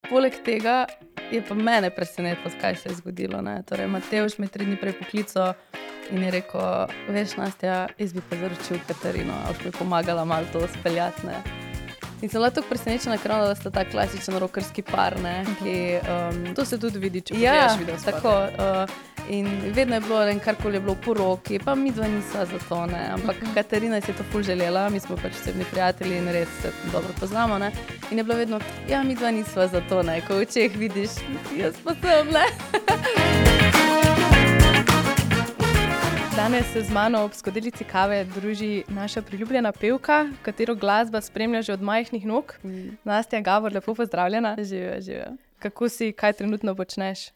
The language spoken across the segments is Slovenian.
Poleg tega je pa mene presenetilo, kaj se je zgodilo. Ne? Torej, Matevž me 3 dni prej poklical in je rekel, veš, Nastja, jaz bi pa zaročil Katarino, a boš mi pomagala malo to speljati. Ne? In sem bila tako presenečena, ker da sta ta klasičen rockerski par, ne, ki... To se tudi vidi, če pogledaš video spote. Tako. In vedno je bilo, karkoli je bilo po roki, pa midva nisva za to, ne. Ampak Katarina si je to ful želela, mi smo pač osebni prijatelji in res se dobro poznamo, ne. In je bilo vedno, ja, midva nisva za to, ne, ko v očeh vidiš, jaz pa sem, ne. Danes se z mano ob skodelici kave druži naša priljubljena pevka, katero glasba spremlja že od majhnih nog. Nastja Gabor, lepo pozdravljena. Živijo. Kako si, kaj trenutno počneš?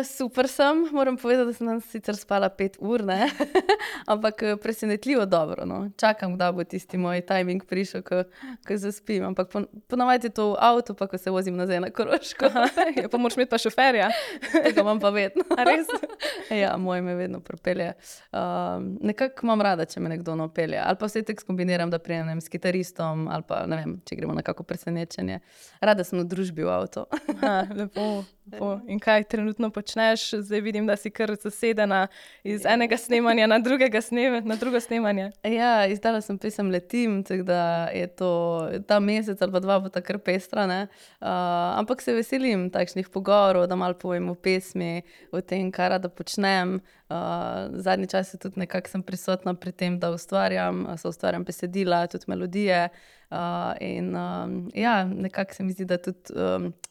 Super sem, moram povedati, da sem danes sicer spala 5 ur, ne? Ampak presenetljivo dobro, no. Čakam, kdaj bo tisti moj timing prišel, ko zaspim, ampak ponavadi je to v avtu, pa ko se vozim nazaj na Koroško. Pa moraš imeti pa šoferja. Tega imam pa vedno. A res? Ja, moj me vedno propelje. Nekako imam rada, če me nekdo napelje. Ali pa vse tek skombiniram, da prijem s kitaristom, ali pa, ne vem, če gremo na kako presenečenje. Rada sem v družbi v avtu. Lepo. In kaj trenutno počneš? Zdaj vidim, da si kar zasedena iz enega snemanja na drugo snemanje. Ja, izdala sem pesem Letim, tako da je to ta mesec ali pa 2 bo ta kar pestra, ne. Ampak se veselim takšnih pogovorov, da malo povem o pesmi, o tem, kaj rada počnem. Zadnji čas tudi nekako sem prisotna pri tem, da ustvarjam besedila, tudi melodije. Ja, nekako se mi zdi, da tudi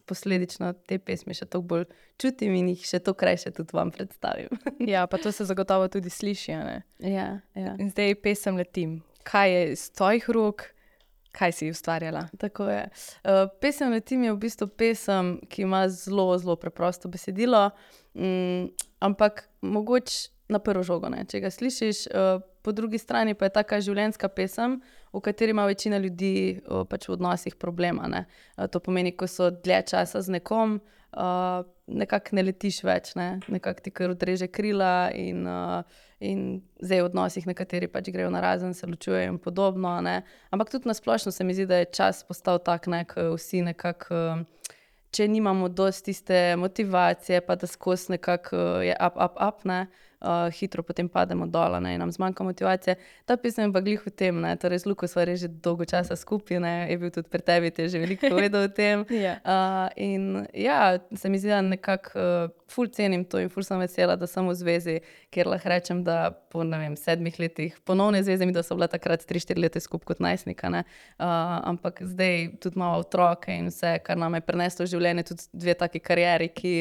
posledično te pesmi še toliko bolj čutim in jih še toliko krajše tudi vam predstavim. Ja, pa to se zagotovo tudi sliši, a ne? Ja. In zdaj pesem Letim. Kaj je iz tvojih rok? Kaj si ustvarjala? Tako je. Pesem Letim je v bistvu pesem, ki ima zelo, zelo preprosto besedilo, ampak mogoče na prvo žogo, ne, če ga slišiš. Po drugi strani pa je taka življenjska pesem, v kateri ima večina ljudi pač v odnosih problema, ne. To pomeni, ko so dlje časa z nekom, nekako ne letiš več, ne. Nekako ti kar odreže krila in zdaj v odnosih nekateri pač grejo narazen, se ločujejo in podobno, ne. Ampak tudi na splošno se mi zdi, da je čas postal tak, ne, ko vsi nekako, če nimamo dosti tiste motivacije, pa da skozi nekako je up, ne, hitro potem pademo dol, ne, in nam zmanjka motivacije. Ta pesem je pa glih v tem, ne, torej z Luko sva res že dolgo časa skupaj, ne, je bil tudi pri tebi, te je že veliko povedal o tem. In ja, se mi zdi, da nekako ful cenim to in ful sem vesela, da sem v zvezi, kjer lahko rečem, da po, ne vem, 7 letih ponovne zveze, mi da so bila takrat 3-4 leta skupaj kot najstnika, ne, ampak zdaj tudi imamo otroke in vse, kar nam je prineslo v življenje, tudi 2 taki karieri, ki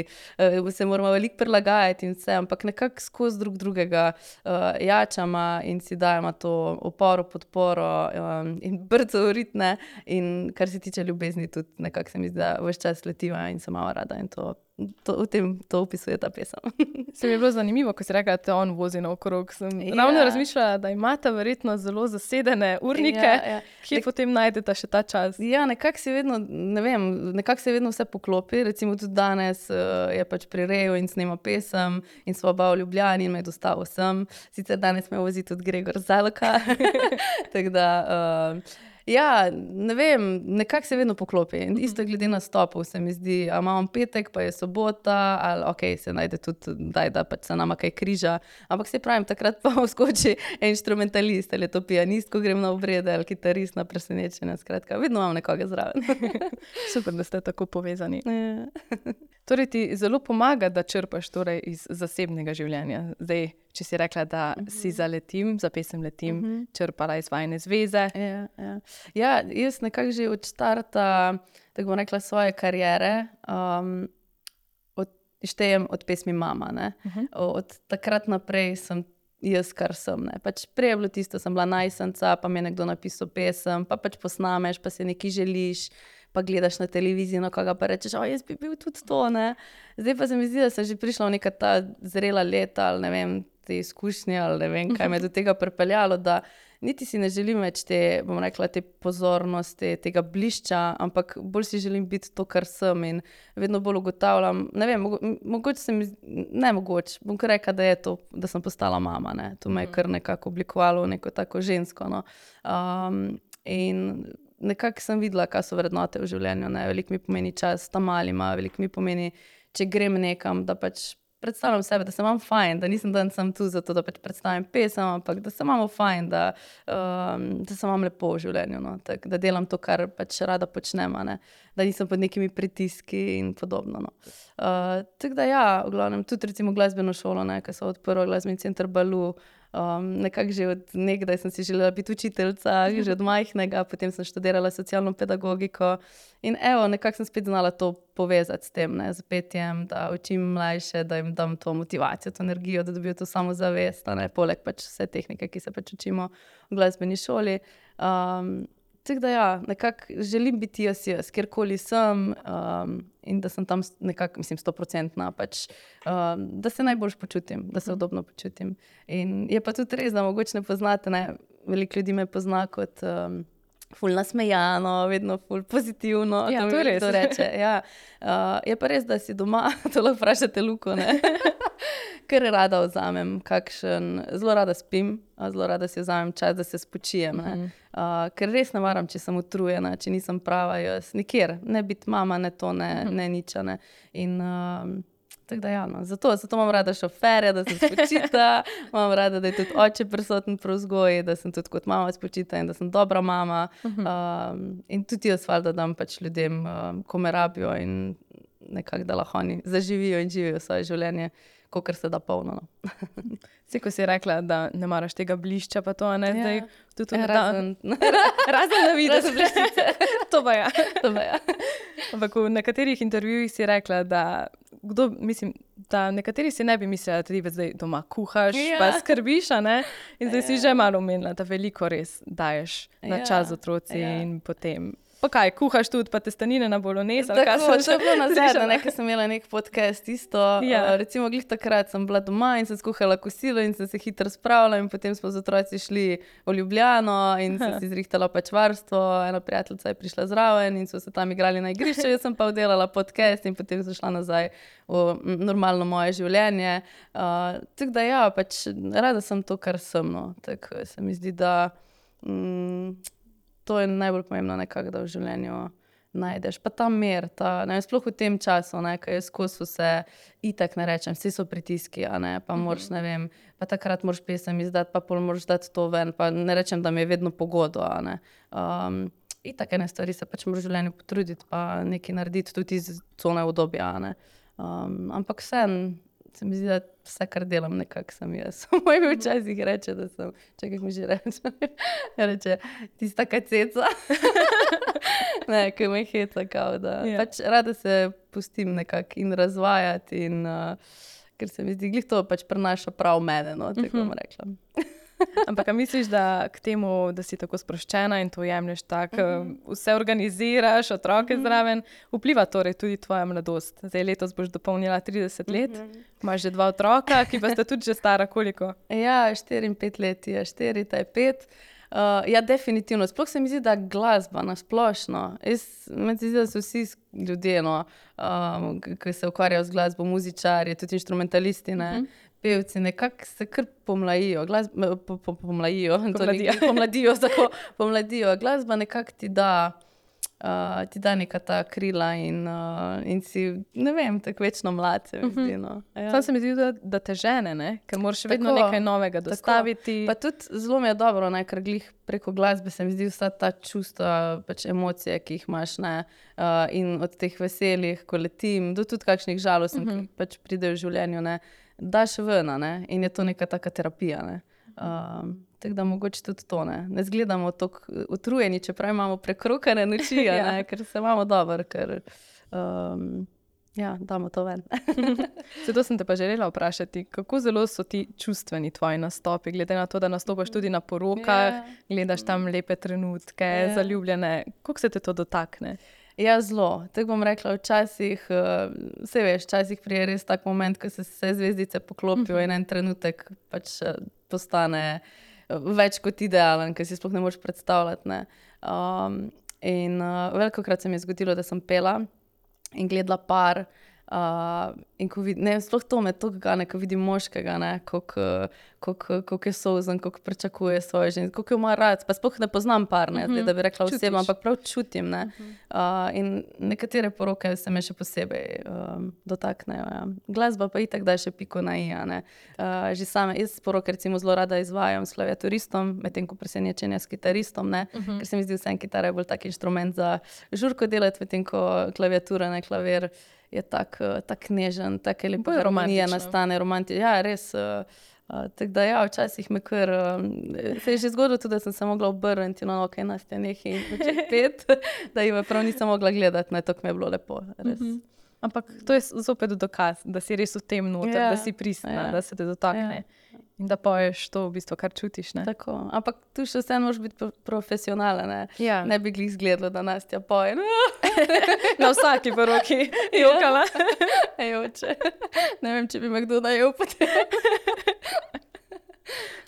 se moramo veliko prilagajati in vse, ampak nekako skozi drug drugega jačama in si dajemo to oporo, podporo in brco ritne, in kar se tiče ljubezni tudi nekako se mi zdi, da ves čas letiva in sem malo rada in to opisuje ta pesem. Se mi je bilo zanimivo, ko si rekla, da te on vozi naokrog. Sem ravno razmišljala, da imata verjetno zelo zasedene urnike, kje potem najdeta še ta čas. Ja, nekako se vedno vse poklopi. Recimo tudi danes je pač pri Reju in snema pesem in sva oba v Ljubljani in me je dostavil sem. Sicer danes me vozi tudi Gregor Zalka. Tako da... Ja, ne vem, nekako se vedno poklopi. Isto glede nastopov se mi zdi, a imamo petek, pa je sobota, ali okej, se najde tudi, da pač se nama kaj križa. Ampak se pravim, takrat pa vskoči inštrumentalist, ali je to pianist, ko grem na obrede, ali kitarist na presenečenje, skratka, vedno imam nekoga zraven. Super, da ste tako povezani. Torej ti zelo pomaga, da črpaš torej iz zasebnega življenja. Zdaj, če si rekla, da si za pesem Letim, črpala iz vajine zveze. Ja, jaz nekako že od štarta, tako bom rekla, svoje kariere, štejem od pesmi Mama, ne. Od takrat naprej sem jaz, kar sem, ne. Pač prej je bilo tisto, sem bila najstnica, pa mi je nekdo napisal pesem, pa pač posnameš, pa si nekaj želiš, pa gledaš na televiziji, na koga pa rečeš, jaz bi bil tudi to, ne. Zdaj pa se mi zdi, da sem že prišla v neka ta zrela leta, ali ne vem, te izkušnje, ali ne vem, kaj me je do tega pripeljalo, da niti si ne želim več te, bom rekla, te pozornosti, tega blišča, ampak bolj si želim biti to, kar sem, in vedno bolj ugotavljam, ne vem, bom kar rekla, da je to, da sem postala mama, ne. To me je kar nekako oblikovalo v neko tako žensko, no. In nekako sem videla, kaj so vrednote v življenju. Ne? Veliko mi pomeni čas tam malima, veliko mi pomeni, če grem nekam, da pač predstavljam sebe, da se imam fajn, da nisem dan sam tu zato, da pač predstavim pesem, ampak da se imamo fajn, da se imam lepo v življenju, no? Tak, da delam to, kar pač rada počnem, ne? Da nisem pod nekimi pritiski in podobno. No? Tako da ja, v glavnem, tudi recimo glasbeno šolo, ne? Ko so odprli glasbeni center Balu, nekako že od nekdaj sem si želela biti učiteljica, že od majhnega, potem sem študirala socialno pedagogiko in evo, nekako sem spet znala to povezati s tem, ne, z petjem, da učim mlajše, da jim dam to motivacijo, to energijo, da dobijo to samozavest, ne, poleg pač vse tehnike, ki se pač učimo v glasbeni šoli. Tako da ja, nekako želim biti jaz, kjerkoli sem in da sem tam nekako, mislim, 100%, pač, da se najboljš počutim, da se udobno počutim. In je pa tudi res, da mogoče ne poznate, ne, veliko ljudi me pozna kot ful nasmejano, vedno ful pozitivno. Ja, to je res. To reče, ja. Je pa res, da si doma, to lahko vprašate Luko, ne? Ker rada vzamem zelo rada spim, zelo rada si vzamem čas, da se spočijem, ne? Ker res ne maram, če sem utrujena, če nisem prava jaz, nikjer, ne biti mama, ne to, ne nič, ne. In tako da ja, no. Zato imam rada šoferja, da se spočita, imam rada, da je tudi oče prisoten pri vzgoji, da sem tudi kot mama spočita in da sem dobra mama. In tudi jaz valjda dam pač ljudem, ko me rabijo in nekako, da lahko oni zaživijo in živijo svoje življenje, kolikor se da polno. No. Vsi, ko si rekla, da ne maraš tega blišča, pa to, ne, zdaj tudi razen na videz. To pa ja. Ja. Ampak v nekaterih intervjujih si rekla, da da nekateri si ne bi mislila, da ti zdaj doma kuhaš, pa skrbiš, ne? In zdaj si že malo omenila, da veliko res daješ na čas otroci in potem... Pa kaj, kuhaš tudi, pa testenine na bolognese? Tako, to je bilo nazadnje, ker sem imela nek podcast isto. Recimo, glih takrat sem bila doma in sem skuhala kosilo in sem se hitro spravila in potem smo z otroci šli v Ljubljano in sem si zrihtala pač varstvo. Ena prijateljica je prišla zraven in so se tam igrali na igrišču, jaz sem pa oddelala podcast in potem sem šla nazaj v normalno moje življenje. Tako da ja, pač rada sem to, kar sem, no. Tako se mi zdi, da... To je najbolj pomembno nekako, da v življenju najdeš. Pa ta mir, sploh v tem času, ko je skozi vse, itak ne rečem, vsi so pritiski, pa moraš, ne vem, pa takrat moraš pesem izdati, pa pol moraš dati to ven, pa ne rečem, da mi je vedno pogodo, itak ene stvari se pač moraš v življenju potruditi, pa nekaj narediti tudi iz cone obdobja, ampak vseeno, se mi zdi, da vse, kar delam, nekako sem jaz. Moj mi včasih reče, da sem, čakaj, mi že reče, reče, tista kaceca. Ne, ko me heca, kao da. Pač rada se pustim nekako in razvajati in ker se mi zdi, glih to pač prenaša prav mene, no, tako bom rekla. Ampak a misliš, da k temu, da si tako sproščena in to jemlješ tako, vse organiziraš, otroke zraven, vpliva torej tudi tvoja mladost? Zdaj letos boš dopolnila 30 let, imaš že 2 otroka, ki pa sta tudi že stara koliko? Ja, 4 in 5 let je 4, ta je 5. Ja, definitivno. Sploh se mi zdi, da glasba na splošno. Meni se zdi, da so vsi ljudje, no, ki se ukvarjajo z glasbo, muzičarji, tudi inštrumentalisti, ne, pevci, nekako se kar pomlajijo. Pomladijo. Glasba nekako ti da neka ta krila in si, ne vem, tako večno mlad se mi zdi, no. Samo se mi zdi, da te žene, ne? Ker moraš vedno nekaj novega dostaviti. Pa tudi zelo mi je dobro, ne? Ker glih preko glasbe se mi zdi vsa ta čustva, pač emocije, ki jih imaš, ne? In od teh veselih, ko letim, do tudi kakšnih žalostnih, ki pač pridejo v življenju, ne? Daš ven, ne? In je to neka taka terapija, ne? Tako da mogoče tudi to, ne? Ne zgledamo tako utrujeni, čeprav imamo prekrokane noči, ne? Ker se imamo dobro, ker damo to ven. Zato sem te pa želela vprašati, kako zelo so ti čustveni tvoji nastopi, glede na to, da nastopaš tudi na porokah, gledaš tam lepe trenutke, zaljubljene, kako se te to dotakne? Ja, zelo. Tako bom rekla, včasih, saj veš, včasih prije res tak moment, ko se vse zvezdice poklopijo in en trenutek pač postane več kot idealen, ker si sploh ne moreš predstavljati, ne. In velikokrat se mi je zgodilo, da sem pela in gledala par In ko vidim, ne, sploh to me toliko gane, ko vidim moškega, ne, koliko je solzen, koliko pričakuje svoje ženske, koliko jo ima rad, pa sploh ne poznam par, ne, zdaj, da bi rekla osebno, ampak prav čutim, ne. In nekatere poroke se me še posebej dotaknejo, ja. Glasba pa itak da še piko na i, ne. Že same, jaz poroke recimo zelo rada izvajam s klaviaturistom, medtem ko presenečenja s kitaristom, ne, ker se mi zdi vseeno kitara je bolj tak inštrument za žurko delati, medtem ko klaviatura, ne, klavir je tak nežen, take lepe harmonije nastane, romantično, ja, res, tako da ja, včasih me kar, se je že zgodilo tudi, da sem se mogla obrniti, no, okej, Nastja, nehaj in začeti peti, da ji prav nisem mogla gledati, ne, tako mi je bilo lepo, res. Ampak to je zopet dokaz, da si res v tem noter, da si pristna, da se te dotakne. In da poješ to v bistvu, kar čutiš, ne? Tako, ampak tu še vseeno moraš biti profesionalen, ne? Ja. Ne bi glih izgledalo, da Nastja poje. Na vsaki poroki jokala. Ejoče. Ne vem, če bi me kdo najel potem.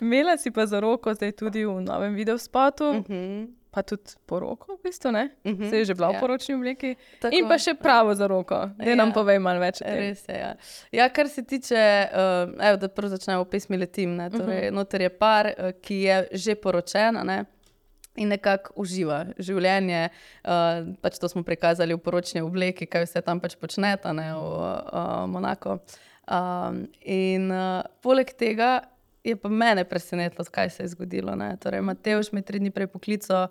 Imela si pa za roko zdaj tudi v novem videospotu, pa tudi poroko, v bistvu, ne? Se je že bila v poročni obleki. Tako, in pa še pravo za roko. Daj nam povej malo več o tem. Res je, ja. Ja, kar se tiče, evo, da prvo začnemo v pesmi Letim, ne, torej noter je par, ki je že poročen, ne, in nekako uživa življenje, pač to smo prikazali v poročni obleki, kaj vse tam pač počneta, ne, v Monaku. In poleg tega je pa mene presenetilo, kaj se je zgodilo, ne. Torej, Matevž me 3 dni prej poklical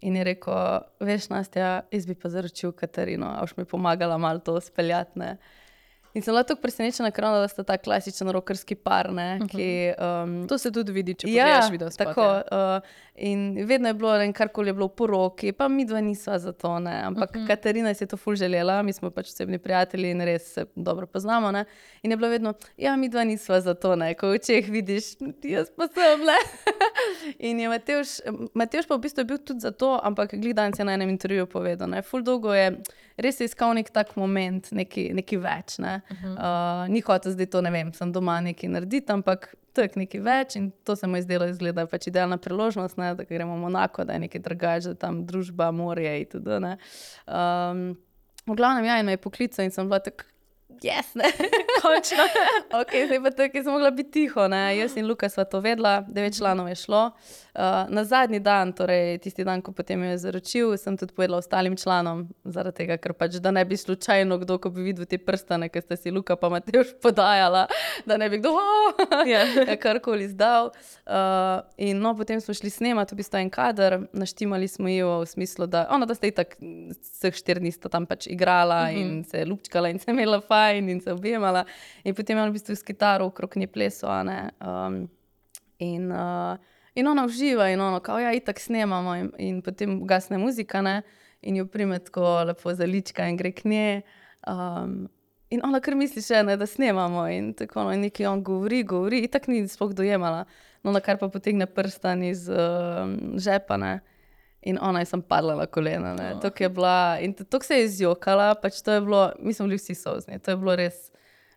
in je rekel, veš, Nastja, jaz bi pa zaročil Katarino, a boš mi pomagala malo to speljati, ne. In sem bila tako presenečena, ker da sta ta klasičen rockerski par, ne, ki... To se tudi vidi, če pogledaš videospot. Tako, in vedno je bilo, ne, karkoli je bilo v poroki, pa midva nisva za to, ne, ampak Katarina si je to ful želela, mi smo pač osebni prijatelji in res se dobro poznamo, ne, in je bilo vedno, ja, midva nisva za to, ne, ko v očeh vidiš, jaz pa sem, ne. In je Matevž pa v bistvu je bil tudi za to, ampak glih danes je na enem intervjuju povedal, ne, ful dolgo je, res je iskal nek tak moment, neki več, ne. Ni hotel zdaj to, ne vem, sem doma nekaj narediti, ampak tak nekaj več in to se mu je zdelo izgleda pač idealna priložnost, ne, da gremo v Monako, da je nekaj drugače, da tam družba, morje in tudi, ne. V glavnem, ja, in me je poklical in sem bila tako, yes, ne, končno. Okej, zdaj pa tako, sem mogla biti tiho, ne, jaz in Luka sva to vedela, 9 članov je šlo. Na zadnji dan, torej tisti dan, ko potem jo je zaročil, sem tudi povedala ostalim članom, zaradi tega, ker pač, da ne bi slučajno kdo, ko bi videl te prstane, ki sta si Luka pa Matevž podajala, da ne bi kdo karkoli izdal. In no, potem smo šli snemati v bistvu en kader, naštimali smo jo v smislu, da da sta itak vseh 4 dni sta tam pač igrala in se lupčkala in se imela fajn in se objemala. In potem je v bistvu s kitaro okrog nje plesal, ne. In ona uživa in ono, kao, ja, itak snemamo in potem ugasne muzika, ne, in jo prime tako lepo za lička in gre k njej. In ona kar misli še, ne, da snemamo in tako, no, in nekaj on govori, itak ni sploh dojemala. No, na kar pa potegne prstan iz žepa, ne, in ona je sem padla na kolena, ne, tako je bila, in tako se je izjokala, pač to je bilo, mi smo bili vsi solzni, to je bilo res,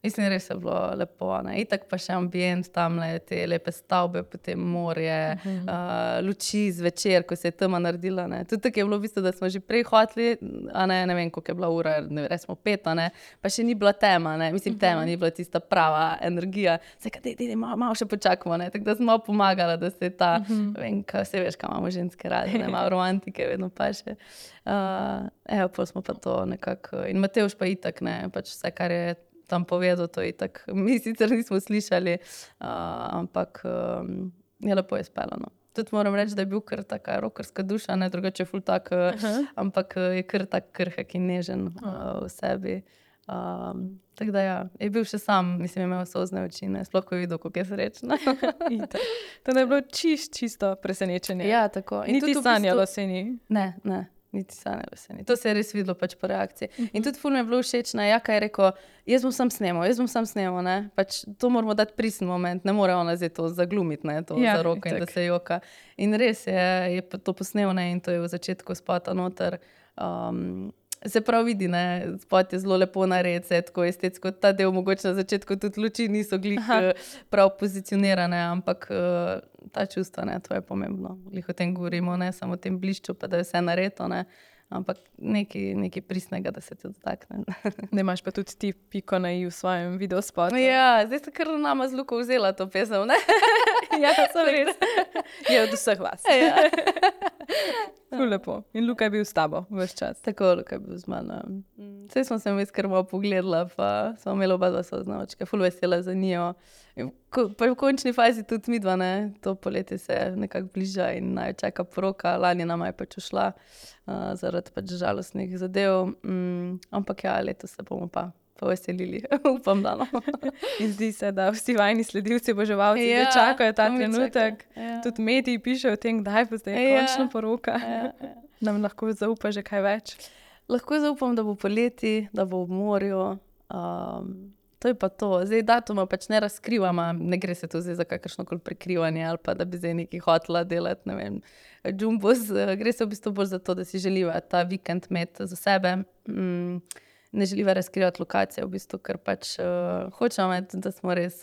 mislim, res je bilo lepo, ne, itak pa še ambient tamle, te lepe stavbe, potem morje, luči zvečer, ko se je tema naredila, ne, tudi tako je bilo v bistvu, da smo že prej hoteli, a ne vem, koliko je bila ura, smo 5, ne, pa še ni bila tema, ne, mislim, tema ni bila tista prava energija, se kaj, malo še počakamo, ne, tako da sem malo pomagala, da se ta, vem, kaj se veš, kaj imamo ženske rade, ne, malo romantike vedno pa še. Evo, pol smo pa to nekako, in Matevž pa itak, ne, pač vse, kar je tam povedal, to itak, mi sicer nismo slišali, ampak je lepo je speljano. Tudi moram reči, da je bil kar taka rockerska duša, ne, drugače je ful tak, ampak je kar tak krhek in nežen v sebi. Tako da ja, je bil še sam, mislim, imel solzne oči, ne, sploh ko je videl, kako je srečna. To je bilo čisto presenečenje. Ja, tako. In niti sanjalo se ni. Ne. Niti sanjalo se ni. To se je res videlo pač po reakciji. In tudi ful mi je bilo všeč, ne, Jaka je rekel, jaz bom sam snemal, ne, pač to moramo dati pristen moment, ne more ona zdaj to zaglumiti, ne, to za roko in da se joka. In res je to posnel, ne, in to je v začetku spota noter. Se prav vidi, ne, spot je zelo lepo nared, se tako estetsko, ta del mogoče na začetku tudi luči niso glih prav pozicionirane, ampak ta čustva, ne, to je pomembno. Glih o tem govorimo, ne, samo o tem blišču, pa da je vse nareto, ne, ampak nekaj pristnega, da se ti dotakne. Ne imaš pa tudi ti piko na i v svojem videospotu. Ja, zdaj sta kar nama z Luko vzela to pesem, ne? Ja, so res. Je od vseh vas. Ja. Ful lepo. In Luka je bil s tabo ves čas. Tako, Luka je bil z mano. Saj smo se vmes kar malo pogledala, pa smo imeli oba dva soznavačka, ful vesela za njo. Pa je v končni fazi tudi midva, ne? To poletje se nekako bliža in naj čaka poroka. Lani nama je pač ušla zaradi pač žalostnih zadev. Ampak ja, letos se bomo pa veselili. Upam, da no. In zdi se, da vsi vajni sledilci, oboževalci že čakajo ta trenutek. Tudi mediji pišejo o tem, kdaj bo zdaj končno poroka. Nam lahko zaupa že kaj več? Lahko zaupam, da bo poleti, da bo v morju. To je pa to. Zdaj datuma pač ne razkrivama, ne gre se tu zdaj za kakršnokoli prekrivanje ali pa da bi zdaj nekaj hotela delati, ne vem, džumbos. Gre se v bistvu bolj za to, da si želiva ta vikend imeti za sebe. Ne želiva razkrivati lokacije, v bistvu, ker pač hočemo imeti, da smo res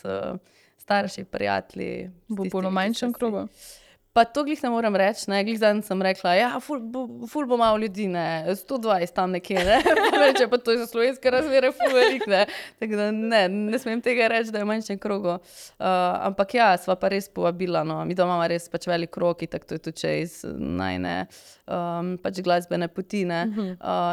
starši, prijatelji. Bo bolj v manjšem krogu? Pa to glih ne moram reči, ne, glih zadnjič sem rekla, ja, ful bo malo ljudi, ne, 120 tam nekje, ne, reče, pa to je za slovenske razmere ful velik, ne, tako da ne smem tega reči, da je v manjšem krogu, ampak ja, sva pa res povabila, no, mi doma imamo res pač velik krog, tako to je tudi iz najne pač glasbene poti, ne,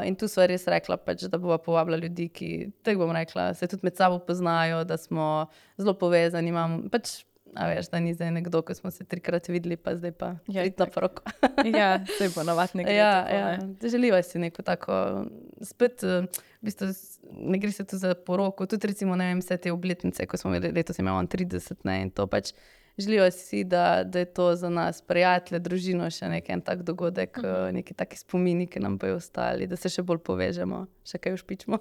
in tu sva res rekla pač, da bova povabila ljudi, ki, tako bom rekla, se tudi med sabo poznajo, da smo zelo povezani, imam pač, a veš, da ni zdaj nekdo, ko smo se 3-krat videli, pa zdaj pa priti na poroko. Ja, saj bo navad ne gre tako. Želiva si neko tako, spet, v bistvu, ne gre se tu za poroko, tudi recimo, ne vem, vse te obletnice, ko smo letos imeli 30, ne, in to pač želiva si, da je to za nas prijatelje, družino še en tak dogodek, neki taki spomini, ki nam bojo ostali, da se še bolj povežemo, še kaj ušpičimo.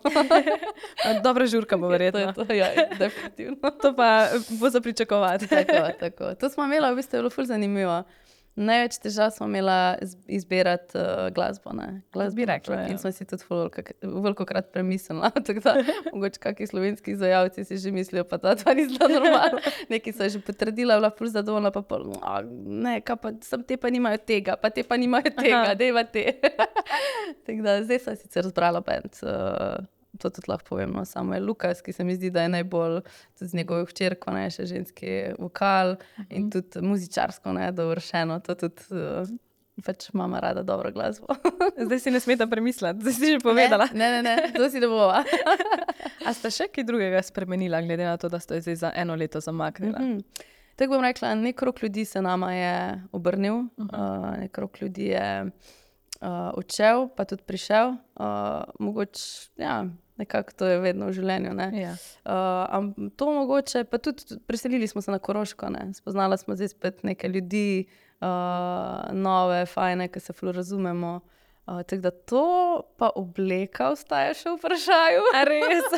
Dobra žurka bo verjetno. To je, ja, definitivno. To pa bo za pričakovati. Tako. To smo imela, v bistvu je bilo ful zanimivo. Največ težav smo imela izbirati glasbo, ne. Bi rekla, in smo si tudi velikokrat premislila, tako da mogoče kakšni slovenski izvajalci si že mislijo, pa ta ni zelo normalno. Neki so že potrdila, bila ful zadovoljna, pa pol, ne, kaj pa, sam te pa nimajo tega, pa te pa nimajo tega, dejva te. Tako da zdaj sem sicer zbrala band, to tudi lahko povem, no, samo je Lukas, ki se mi zdi, da je najbolj tudi z njegovo hčerko, ne, še ženski vokal in tudi muzičarsko, ne, dovršeno, to tudi pač mama rada dobro glasbo. Zdaj si ne smeta premisliti, zdaj si že povedala. Ne, to si ne bova. A sta še kaj drugega spremenila, glede na to, da sta zdaj za 1 leto zamaknila? Tako bom rekla, nek krog ljudi se nama je obrnil, nek krog ljudi je odšel, pa tudi prišel. Mogoče, ja, nekako to je vedno v življenju, ne. Ja. To mogoče, pa tudi preselili smo se na Koroško, ne. Spoznala smo zdaj spet neke ljudi, nove, fajne, ki se ful razumemo. Tako da to pa obleka ostaja še v vprašaju. A res?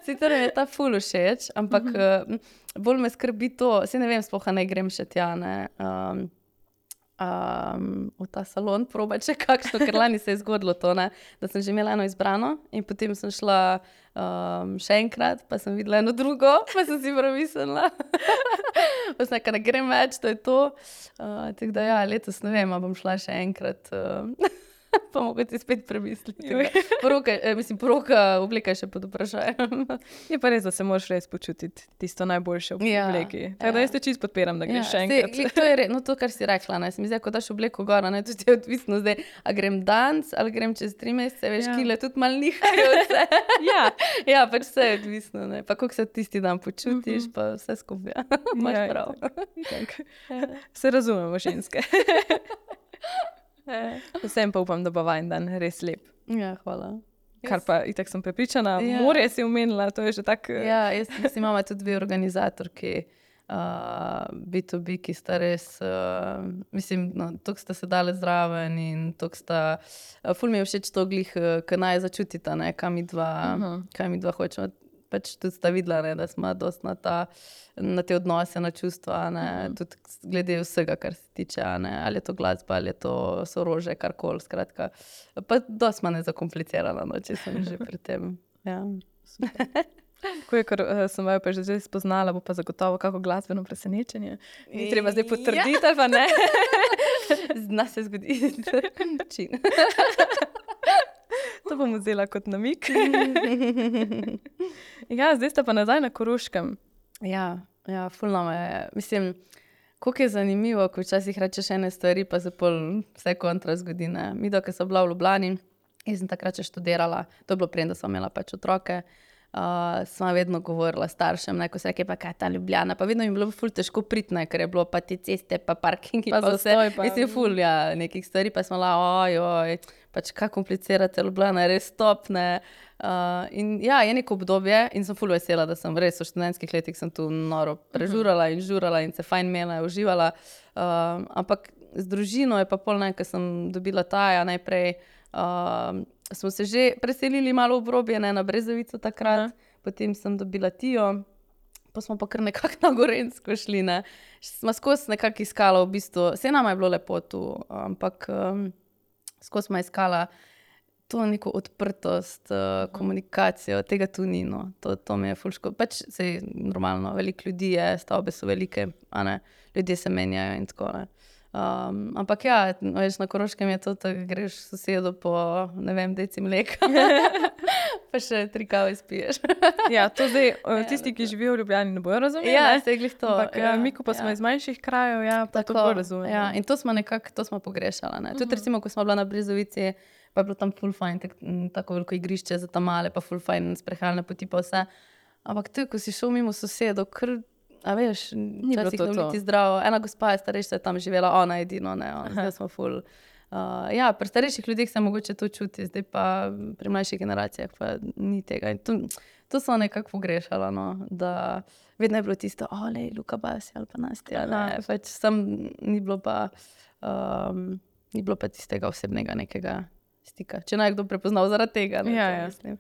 Sicer mi je ta ful všeč, ampak bolj me skrbi to, saj ne vem, sploh ne grem še tja, ne. V ta salon probati še kakšno, ker lani se je zgodilo to, ne, da sem že imela eno izbrano in potem sem šla še enkrat, pa sem videla eno drugo, pa sem si premislila. Pa sem nekaj, ne grem več, to je to. Tako da ja, letos ne vem, a bom šla še enkrat. Pa mogoče spet premisliti. Poroka obleka še pod vprašanjem. Je pa res, da se moraš res počutiti tisto najboljše v obleki. Tako da jaz te čisto podpiram, da greš še enkrat. To je res, no to, kar si rekla, ne, se mi zdi, ko daš obleko gor, ne, tudi je odvisno zdaj, a grem danes, ali grem čez 3 mesece, veš, kile tudi malo nihajo vse. Ja, pač vse je odvisno, ne, pa koliko se tisti dan počutiš, pa vse skupaj. Imaš prav. Se razumemo, ženske. Vsem pa upam, da bo vajen dan res lep. Ja, hvala. Kar pa itak sem prepričana, morje si omenila, to je že tak... Ja, jaz imamo tudi 2 organizatorki, B2B, ki sta res, mislim, no, toliko sta se dale zraven in toliko sta, ful mi je všeč to glih, ko naj začutita, ne, kaj mi dva hočemo. Pač tudi sta videla, ne, da smo dosti na te odnose, na čustva, ne, tudi glede vsega, kar se tiče, ne, ali je to glasba, ali je to sorože, karkoli, skratka. Pa dosti manj zakomplicirala, no, če sem že pri tem. Ja. Ko je, ker sem vaju pa že zdaj spoznala, bo pa zagotovo kako glasbeno presenečenje. Ni treba zdaj potrditi, ali pa ne? Zna se zgodi. Čin. To bom vzela kot namig. Ja, zdaj sta pa nazaj na Koroškem. Ja, ful nama je. Mislim, koliko je zanimivo, ko včasih rečeš ene stvari, pa se pol vse kontra zgodi, ne. Mi, dokaj sem bila v Ljubljani, jaz sem takrat še študirala, to je bilo preden, da sem imela pač otroke. Sva vedno govorila staršem, ne, ko se reke, pa kaj ta Ljubljana, pa vedno mi je bilo ful težko priti, ne, ker je bilo pa te ceste, pa parkingi, pa vse. Mislim, ful, ja, nekih stvari, pa smo oj, pač kaj komplicirate, Ljubljana je res top, ne. In ja, je neko obdobje in sem ful vesela, da sem res v študentskih letih sem tu noro prežurala in žurala in se fajn imela, uživala. Ampak z družino je pa pol, ne, ko sem dobila Taja najprej, smo se že preselili malo v obrobje, ne, na Brezovico takrat, potem sem dobila Tijo, pa smo pa kar nekako na Gorenjsko šli, ne. Sva skozi nekako iskala v bistvu, saj nama je bilo lepo tu, ampak skozi sva iskala to neko odprtost, komunikacijo, tega tu ni, no. To mi je ful škoda. Pač saj normalno, veliko ljudi je, stavbe so velike, a ne, ljudje se menjajo in tako, ne. Ampak ja, veš, na Koroškem je to, da greš sosedu po, ne vem, deci mleka, pa še 3 kave spiješ. Ja, to zdaj tisti, ki živijo v Ljubljani, ne bojo razumeli, Ja, ne? saj glih to. Ampak mi, ko pa smo iz manjših krajev, ja, pa to bolj razumemo. Ja, in to smo nekako, to smo pogrešala, ne. Tudi recimo, ko smo bila na Brezovici, pa je bilo tam ful fajn, tako veliko igrišče za tam male, pa ful fajn sprehajalne poti pa vse. Ampak tu, ko si šel mimo sosedov, kar, a veš, včasih to ne to. biti zdravo. Ena gospa je starejša, je tam živela, ona edino, ne, zdaj smo ful. Ja, pri starejših ljudeh se mogoče to čuti, zdaj pa pri mlajših generacijah pa ni tega. In to so nekako pogrešala, no, da vedno je bilo tisto, lej, Luka Basi ali pa Nastja, ne, pač sam ni bilo pa tistega osebnega nekega stika. Če naj kdo prepoznal zaradi tega, ne, Ja. mislim.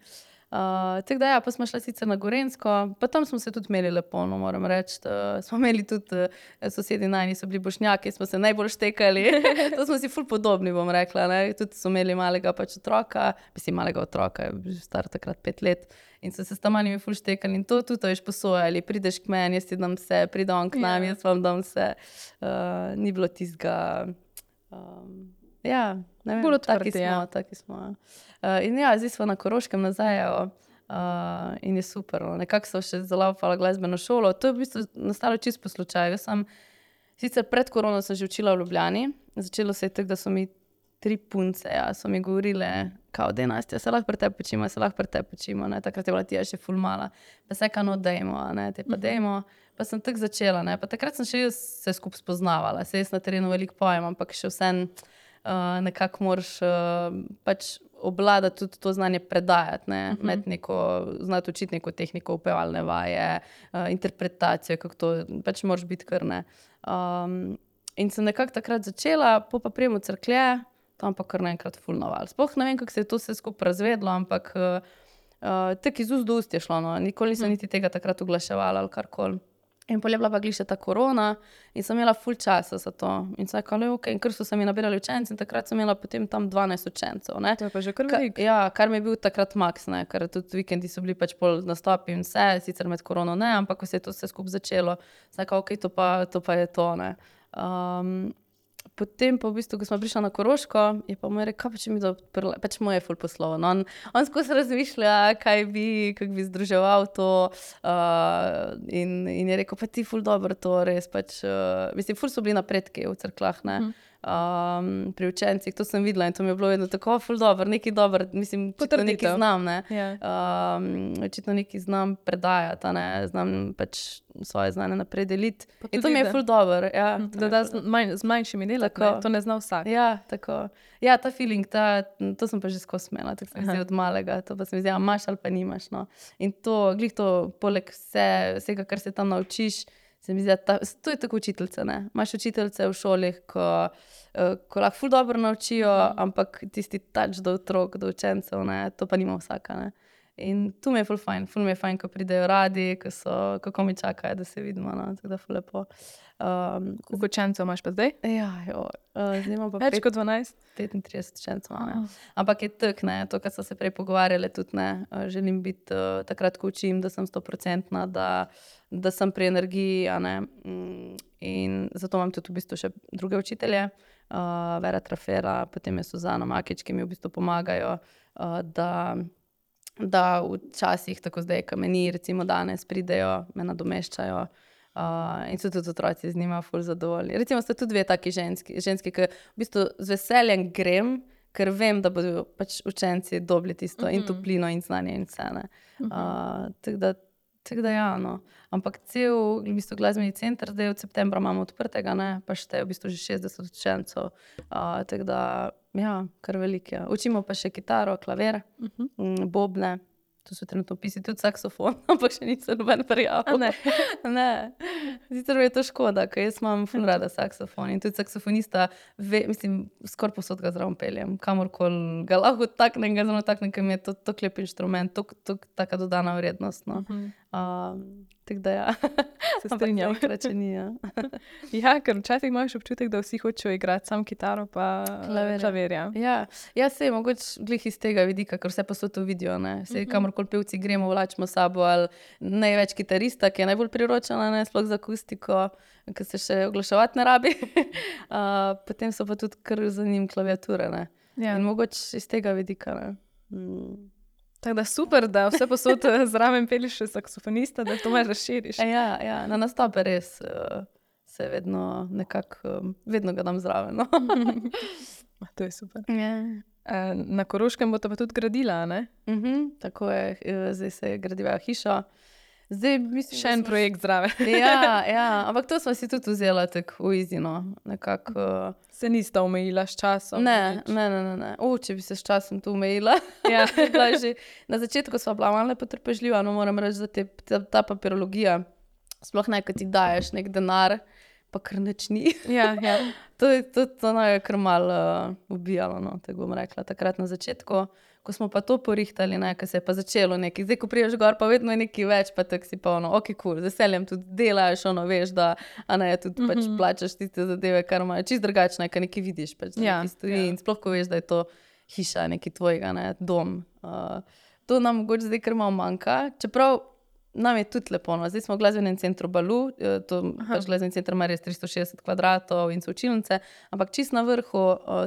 Tako da ja, pa smo šla sicer na Gorenjsko, pa tam smo se tudi imeli lepo, no, moram reči. Smo imeli tudi, sosedi najni so bili Bošnjaki, smo se najbolj štekali. To smo si ful podobni, bom rekla, ne. Tudi so imeli malega pač otroka, malega otroka, je bil star takrat 5 let. In so se s tam malimi ful štekali in to tudi, veš, posojali. Prideš k meni, jaz ti dam vse, pride on k nam, jaz vam dam vse. Ni bilo tistega, ja, ne vem, Bolj odprti, taki smo. In ja, zdaj smo na Koroškem nazaj, in je super, no. Nekako so še zalaufala glasbeno šolo. To je v bistvu nastalo čisto po slučaju. Jaz sem sicer pred korono sem že učila v Ljubljani. Začelo se je tako, da so mi 3 punce, so mi govorile, kao, daj Nastja, se lahko pri tebi počimo, ne. Takrat je bila Tija še ful mala. Pa se no, dajmo, ne, te pa dajmo. Pa sem tako začela, ne. Pa takrat sem še jaz se skupaj spoznavala. Saj jaz na terenu veliko pojem, ampak še vseeno nekako moraš pač obvladati tudi to znanje predajati, ne, imeti neko, znati učiti neko tehniko, upevalne vaje, interpretacijo, kako to, pač moraš biti kar, ne. In sem nekako takrat začela, pa prijem v Cerklje, tam pa kar naenkrat ful naval. Sploh ne vem, kako se je to vse skupaj razvedlo, ampak tako iz ust do ust je šlo, no. Nikoli nisem niti tega takrat oglaševala ali karkoli. In pol je bila pa glih še ta korona in sem imela ful časa za to. In sem rekla, okej, in kar so se mi nabirali učenci in takrat sem imela potem tam 12 učencev, ne. To je pa že kar veliko. Ja, kar mi je bil takrat maks, ne, ker tudi vikendi so bili pač pol nastopi in vse, sicer med korono ne, ampak ko se je to vse skupaj začelo, sem rekla, okej, to pa je to, ne. Potem pa v bistvu, ko smo prišla na Koroško, je pa moj rekel, kaj pa če mi da odprla, pač moj je ful poslovno. On skozi razmišlja, kako bi združeval to, in je rekel, pa ti ful dobro to res, pač, mislim, ful so bili napredki v Cerkljah, ne. Pri učencih, to sem videla in to mi je bilo vedno tako, ful dobro, nekaj dobro, mislim, očitno nekaj znam, ne. Očitno nekaj znam predajati, a ne, znam pač svoje znanje naprej deliti. In to mi je ful dobro, ja. Da z manjšimi delati, to ne zna vsak. Ja, tako. Ja, ta feeling, to sem pa že skozi imela, tako se mi zdi od malega, to pa se mi zdi, imaš ali pa nimaš, no. In to, glih to, poleg vsega, kar se tam naučiš, se mi zdi, to je tako učiteljica, ne. Imaš učiteljice v šoli, ko lahko ful dobro naučijo, ampak tisti touch do otrok, do učencev, ne, to pa nima vsaka, ne. In tu mi je ful mi je fajn, ko pridejo radi, kako mi čakajo, da se vidimo, no, tako da ful lepo. Koliko učencev imaš pa zdaj? Ja, zdaj imam pa Več kot 12? 35 učencev imam, ja. Ampak je tako, ne, to, kar so se prej pogovarjali, tudi ne, želim biti takrat, ko učim, da sem 100%, da sem pri energiji, a ne. In zato imam tudi v bistvu še druge učitelje, Vera Trafera, potem je Suzana Makič, ki mi v bistvu pomagajo, da včasih, tako zdaj, ko meni, recimo danes pridejo, me nadomeščajo. In so tudi otroci z njima ful zadovoljni. Recimo sta tudi dve taki ženski, ki v bistvu z veseljem grem, ker vem, da bodo pač učenci dobili tisto in toplino in znanje in vse. Tako da ja, no. Ampak cel v bistvu glasbeni center, zdaj od septembra imamo odprtega, ne, pa šteje v bistvu že 60 učencev. Tako da, ja, kar veliko je. Učimo pa še kitaro, klaver, bobne. Tu so trenutno pisi tudi saksofon, ampak še nisem noben prijavil. Ne. Sicer je to škoda, ker jaz imam ful rada saksofon in tudi saksofonista, mislim, skoraj povsod ga zraven peljem. Kamorkoli ga lahko taknem, ga zelo taknem, ker mi je to lep inštrument, taka dodana vrednost. No. Tako da ja, se strinjam. Ampak če ni, ja. Ja, ker včasih imaš občutek, da vsi hočejo igrati sam kitaro pa klavir. Ja, sej mogoče glih iz tega vidika, ker vse posod to vidijo, ne. Sej kamorkoli pevci gremo, vlačimo sabo ali največ kitarista, ki je najbolj priročena, ne, sploh za akustiko, ker se še oglaševati ne rabi. Potem so pa tudi kar za njim klaviature, ne. Ja. In mogoče iz tega vidika, ne. Tako da super, da vse posod zraven peliš še saksofonista, da to malo razširiš. Ja, na nastope res se vedno nekako, vedno ga dam zraven. No. To je super. Yeah. Na Koroškem bo to pa tudi gradila, ne? Tako je, zdaj se gradiva hiša. Zdaj, mislim, še en projekt zraven. Ja, ampak to smo si tudi vzela tako v izino. Nekako... Se nista omejila s časom? Ne. Če bi se s časom tu omejila. Ja. Na začetku sva bila malo potrpežljiva, no moram reči, da ta papirologija, sploh ne, ko ti daješ nek denar, pa kar nič ni. Ja. To je kar malo ubijalo, no, tako bom rekla, takrat na začetku. Ko smo pa to porihtali, ne, ko se je pa začelo nekaj. Zdaj, ko priješ gor, pa vedno je nekaj več, pa tako si pa ok, cool, z veseljem tudi delaš, veš, da tudi pač plačaš tiste zadeve, kar imajo čisto drugačne, kar nekaj vidiš, pač nekaj stoji in sploh, ko veš, da je to hiša, nekaj tvojega, ne, dom. To nam mogoče zdaj kar malo manjka, čeprav nam je tudi lepo, no. Zdaj smo v glasbenem centru Balu, pač glasbeni center ima res 360 kvadratov in so učilnice, ampak čist na vrhu,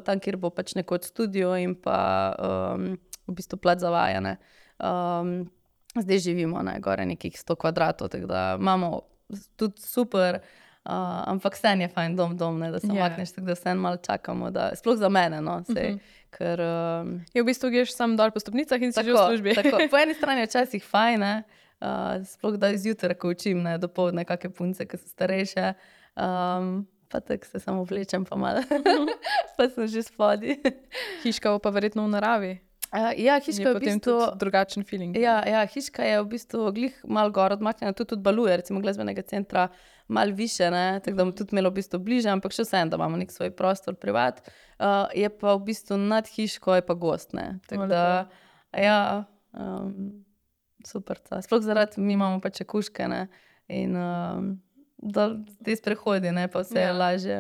tam, kjer bo pač nekoč studio in pa v bistvu plac za vajanje. Zdaj živimo, ne, gore nekih 100 kvadratov, tako da imamo tudi super, ampak vseeno je fajn dom, ne, da se makneš, tako da vseeno malo čakamo, sploh za mene, no, sej, ker... Je v bistvu greš sam dol po stopnicah in si že v službi. Tako, po eni strani je včasih fajn, ne, sploh da izjutra, ko učim, ne, dopoldne kakve punce, ki so starejše, pa tako se samo vlečem pa malo, pa sem že spodi. Hiška pa verjetno v naravi. Ja, hiška je v bistvu... drugačen feeling. Ja, hiška je v bistvu glih malo gor odmaknjena, tudi Baluje, recimo glasbenega centra, malo više, ne, tako da bomo tudi imeli v bistvu bliže, ampak še vseeno, da imamo nek svoj prostor privat. Je pa v bistvu nad hiško je pa gost, ne, tako da, ja... Super, sploh zaradi mi imamo pač kuške, ne, in da te sprehodi, ne, pa vse je lažje.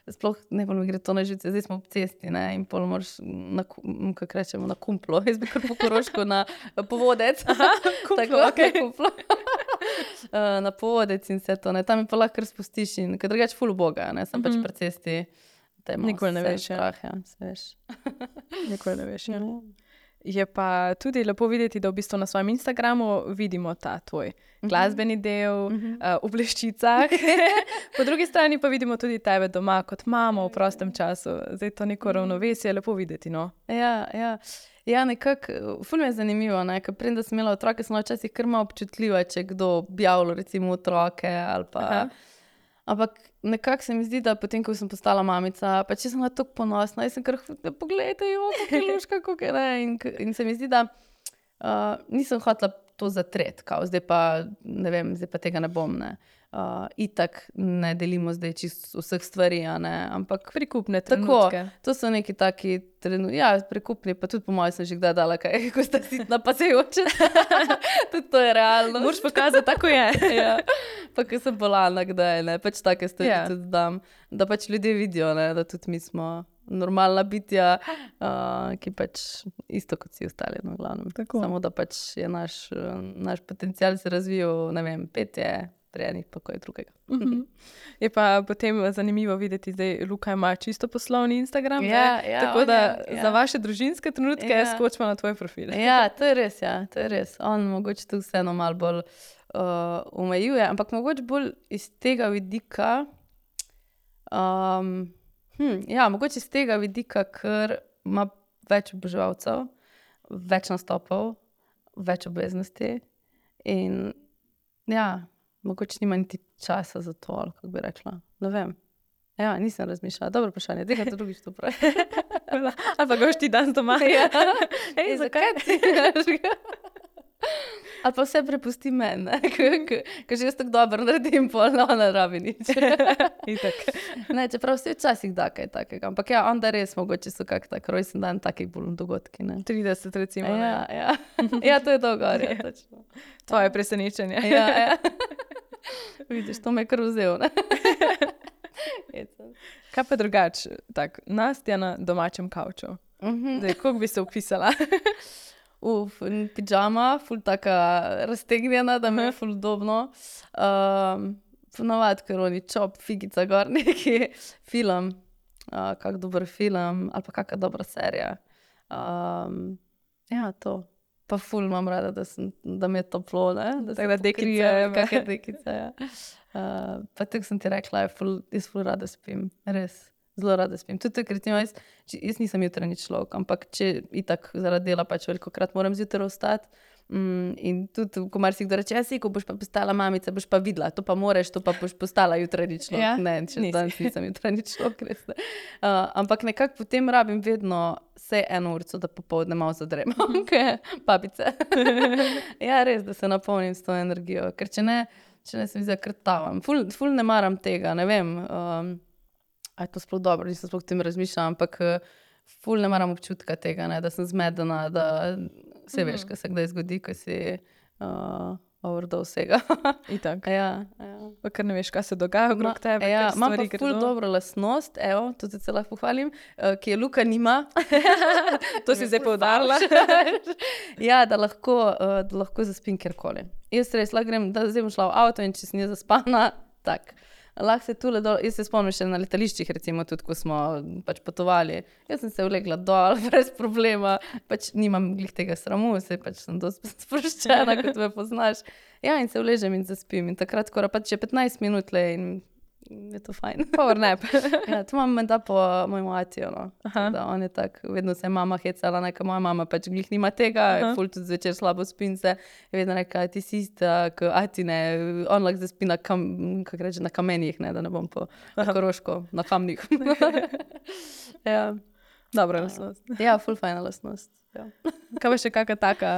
Sploh ne mi gre to na živce, zdaj smo ob cesti, ne, in pol moraš, kako rečemo, na kumplo, jaz bi kar po Koroško na povodec. Kumplo, ok. Kumplo. Na povodec in vse to, ne, tam je pa lahko spustiš in ker drugače ful uboga, ne, sem pač pri cesti. Nikoli ne veš, strah, ja, se veš. Nikoli ne veš, ja. Je pa tudi lepo videti, da v bistvu na svojem Instagramu vidimo ta tvoj glasbeni del v bleščicah. Po drugi strani pa vidimo tudi tebe doma kot mamo v prostem času. Zdaj to neko ravnovesje je lepo videti, no? Ja, nekako, ful mi je zanimivo, ne, ker preden sem imela otroke, sem včasih kar malo občutljiva, če kdo objavlja recimo otroke ali pa... Ampak nekako se mi zdi, da potem, ko sem postala mamica, pa če sem bila tako ponosna, jaz sem kar, poglejte, luška, kako je, ne, in se mi zdi, da nisem hotela to zatreti, kao, zdaj pa, ne vem, zdaj pa tega ne bom, ne. Itak ne delimo zdaj čisto vseh stvari, ne, ampak prikupne trenutke. Tako, to so neki taki trenutki, ja, prikupni, pa tudi po mojem sem že kdaj dala kaj, ko sta sitna, pa se joče. Tudi to je realno. Moraš pokazati, tako je. Ja. Pa ko sem bolana kdaj, ne, pač take stvari tudi dam, da pač ljudje vidijo, ne, da tudi mi smo normalna bitja, ki pač isto kot vsi ostali, no, glavnem. Tako. Samo da pač je naš potencial se razvijal, ne vem, petje, zrejenih, pa kaj drugega. Je pa potem zanimivo videti, da Luka ima čisto poslovni Instagram. Tako da za vaše družinske trenutke skočimo na tvoj profil. Ja, to je res. On mogoče tu vseeno malo bolj omejuje, ampak mogoče bolj iz tega vidika, mogoče iz tega vidika, ker ima več oboževalcev, več nastopov, več obveznosti in mogoče nima niti časa za to, ali kako bi rekla. Ne vem. Ja, nisem razmišljala. Dobro vprašanje, tega to drugič to pravi. Ali pa goš ti dan doma. Ej, zakaj ti? Ali pa vse prepusti meni, ker že jaz tako dobro naredim, pol ne rabi nič. Ne, čeprav vse včasih da kaj takega. Ampak onda res mogoče so kak tak rojsten dan, takih bolj dogodki. 30 recimo. Ja, to je dolgo, točno. Tvoje presenečenje. Vidiš, to me je kar vzel, ne? Kaj pa drugače? Nastja na domačem kavču. Kako bi se opisala? Pidžama, ful taka raztegnjena, da me je ful udobno. Ponavadi, ker oni čop, figica gor, neki film, kak dober film, ali pa kakšna dobra serija. To. Pa ful imam rada, da mi je toplo, ne? Tako da dekrice, kakšne dekrice, Pa tako sem ti rekla, jaz ful rada spim, res. Zelo rada spim. Tudi ker jaz nisem jutranji človek, ampak če itak zaradi dela pač velikokrat moram zjutraj vstati. In tudi, ko marsikdo reče, ko boš pa postala mamica, boš pa videla, to pa moreš, to pa boš postala jutranji človek. Ne, danes nisem jutranji človek, res ne. Ampak nekako potem rabim vedno vsaj 1 urico, da popoldne malo zadremam, babice. Ja, res, da se napolnim s to energijo, ker če ne se mi zakrtavam. Ful ne maram tega, ne vem, a je to sploh dobro, nisem sploh tem razmišljala, ampak ful ne maram občutka tega, ne, da sem zmedena, da vse veš, kaj se kdaj zgodi, ko si overdose vsega. Itak. Ja. Pa ker ne veš, kaj se dogaja okrog tebe. Imam pa ful dobro lastnost, to se lahko pohvalim, ki je Luka nima. To si zdaj poudarila. Ja, da lahko zaspim kjerkoli. Jaz res lahko grem, da zdaj bom šla v avto in če sem zaspana, tak. Lahko se tule dol, jaz se spomnim še na letališčih, recimo tudi, ko smo pač potovali. Jaz sem se vlegla dol, brez problema, pač nimam glih tega sramu, pač sem dosti sproščena, kot me poznaš. Ja, in se vležem in zaspim in takrat skoro pač je 15 minut in je to fajn. Power nap. Ja, to imam menda po mojemu atiju, no. Da on je tak, vedno se je mama hecala, neka moja mama pač glih nima tega, ful tudi zvečer slabo spim se. Je vedno reka, ti si ista, k atine, on lahko zaspi na na kamenjih, ne, da ne bom po Koroško, na kamnih. Ja. Dobra lastnost. Ja, ful fajna lastnost. Ja. Kaj pa še kakšna taka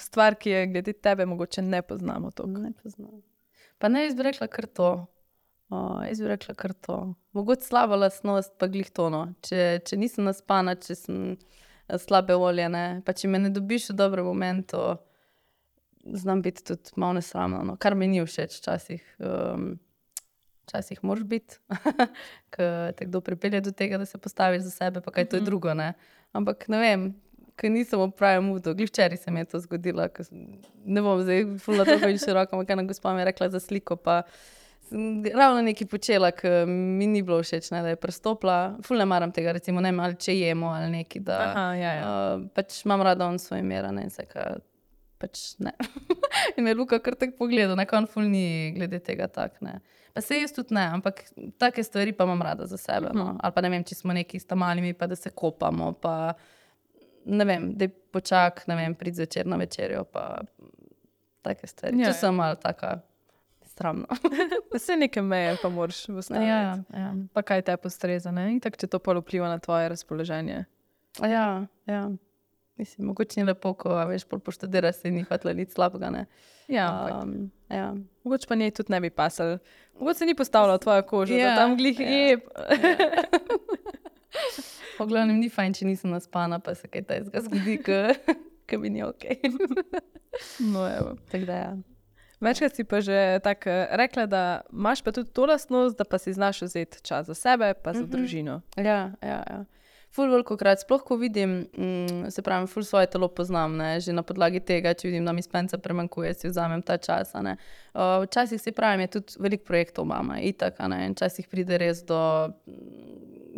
stvar, ki je glede tebe mogoče ne poznamo toliko? Ne poznam. Pa ne, jaz bi rekla kar to. Mogoče slaba lastnost, pa glih to, no. Če nisem naspana, če sem slabe volje, ne. Pa če me ne dobiš v dobrem momentu, znam biti tudi malo nesramna, no. Kar mi ni všeč včasih. Včasih moraš biti, ker te kdo pripelje do tega, da se postaviš za sebe, pa kaj to je drugo, ne. Ampak ne vem, ker nisem v pravem moodu. Glih včeraj se mi je to zgodilo, ne bom zdaj fula dolgo in široko, ampak ena gospa mi je rekla za sliko, pa sem ravno nekaj počela, ker mi ni bilo všeč, ne, da je prestopila. Ful ne maram tega, recimo, ne vem, ali če jemo ali nekaj, da pač imam rada on svoj mera, ne, vseka, pač ne. In me je Luka kar tako pogledal, neko on ful ni glede tega tak, ne. Pa se jaz tudi ne, ampak take stvari pa imam rada za sebe, no. Ali pa ne vem, če smo neki s tamalimi, pa da se kopamo, pa ne vem, da počak, ne vem, prid zvečer na večerjo, pa take stvari. Če sem malo taka stramno. Vse neke meje pa moraš postaviti. Ja. Pa kaj te postreza, ne? In tako, če to pol vpliva na tvoje razpoloženje. Ja. Mislim, mogoče ni lepo, ko veš, pol poštedira se in ni hvatila nič slabega, ne. Ja, mogoče pa njej tudi ne bi pasal. Mogoče se ni postavila v tvojo kožo, da tam glih jeb. Po glavnem ni fajn, če nisem naspana, pa se kaj tajzga zgodi, ke mi ni okej. No, evo. Tako da, Večkrat si pa že tako rekla, da imaš pa tudi to lastnost, da pa si znaš vzeti čas za sebe, pa za družino. Ja. ful velikokrat, sploh ko vidim, se pravi, ful svoje telo poznam, ne, že na podlagi tega, če vidim, da mi spenca premankuje, si vzamem ta čas, ne. Včasih si pravim, je tudi veliko projektov mama, itak, ne, in včasih pride res do,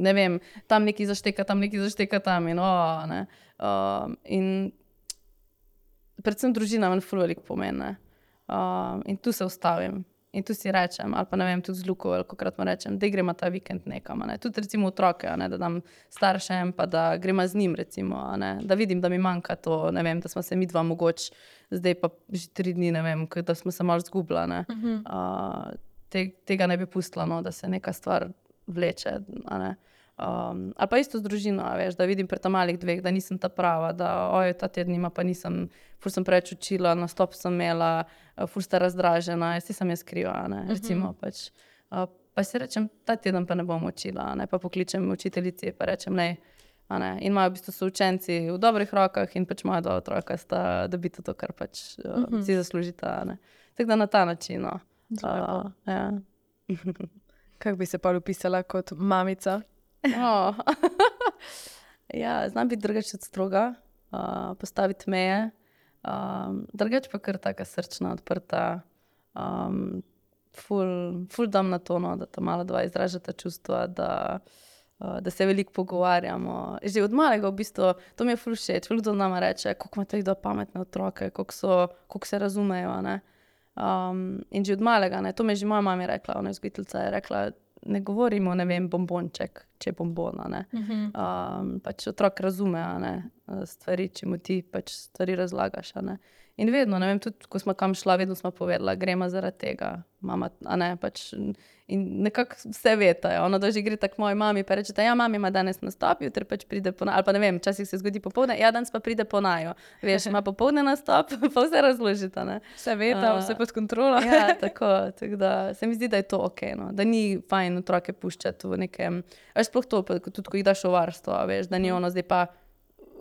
ne vem, tam nekaj zašteka tam in ne. In predvsem družina meni ful veliko pomeni, in tu se ustavim. In tu si rečem, ali pa ne vem, tudi z Luko velikokrat mu rečem, da gremo ta vikend nekam, ne. Tudi recimo otroke, ne, da dam staršem, pa da gremo z njim recimo, ne. Da vidim, da mi manjka to, ne vem, da smo se midva mogoče, zdaj pa že 3 dni, ne vem, da smo se malo zgubila, ne. Tega ne bi pustila, no, da se neka stvar vleče, ne. Ali pa isto z družino, veš, da vidim pri malih 2, da nisem ta prava, da ta tednima pa nisem, ful sem preveč učila, nastop sem imela, ful sta razdražena, jaz sem kriva, ne, recimo pač. Pa si rečem, ta teden pa ne bom učila, ne, pa pokličem učiteljici, pa rečem, ne, in imajo v bistvu so učenci v dobrih rokah in pač moja 2 otroka sta dobita to, kar pač si zaslužita, ne. Tako da na ta način, no. Ja. Kako bi se pa opisala kot mamica? Ja, znam biti drugače od stroga, postaviti meje, drugače pa kar taka srčna, odprta, ful dam na to, no, da ta mala 2 izražata čustva, da se veliko pogovarjamo. Že od malega v bistvu, to mi je ful všeč, veliko nama reče, koliko imate 2 pametne otroke, koliko se razumejo, ne. In že od malega, ne, to mi je že moja mama rekla, ona vzgojiteljica je rekla, ne govorimo, ne vem, bombonček, če je bombona, ne. Pač otrok razume, ne, stvari, če mu ti pač stvari razlagaš, ne. In vedno, ne vem, tudi ko smo kam šla, vedno smo povedala, gremo zaradi tega, mama, ne, pač, in nekako vse vetajo, ona da že gre tako moji mami, pa rečeta, ja, mami ima danes nastop, jutri pač pride po ali pa ne vem, včasih se zgodi popoldne, ja, danes pa pride po naju, veš, ima popoldne nastop, pa vse razložita, ne. Vse veta, vse pod kontrolo. Ja, tako da se mi zdi, da je to okej, no, da ni fajn otroke puščati v nekem, veš, sploh to, tudi ko jih daš v varstvo, veš, da ni ono zdaj pa,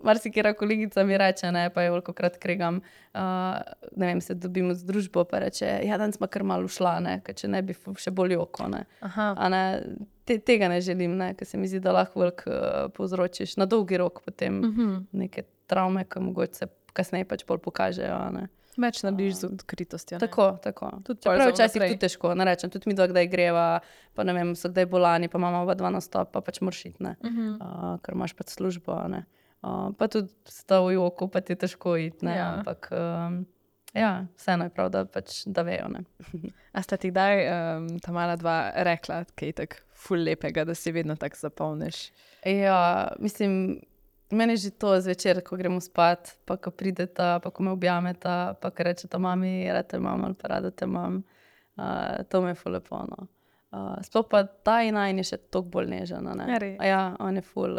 marsikera kolegica mi reče, ne, pa je velikokrat kregam, ne vem, se dobimo z družbo, pa reče, ja, danes smo kar malo ušla, ne, ker če ne bi še bolj oko, ne. A ne, tega ne želim, ne, ker se mi zdi, da lahko veliko povzročiš na dolgi rok potem neke travme, ki mogoče se kasneje pač bolj pokažejo, ne. Več narediš z odkritostjo. Tako. Čeprav včasih tudi težko, ne rečem, tudi mi kdaj greva, pa ne vem, so kdaj bolani, pa imamo oba 2 nastop, pa pač moraš iti, ne, ker imaš pač službo, ne. Pa tudi sta v joku, pa ti je težko iti, ne, ampak ja, vseeno je prav, da pač da vejo, ne. A sta ti kdaj ta mala 2 rekla, kaj je tako ful lepega, da si vedno tako zapomniš? Ja, mislim, meni je že to zvečer, ko gremo spat, pa ko prideta, pa ko me objameta, pa ko rečeta, mami, rada te imam ali pa rada te imam, to mi je ful lepo, no. Sploh pa ta najin je še toliko bolj nežna, ne. Ja, on je ful,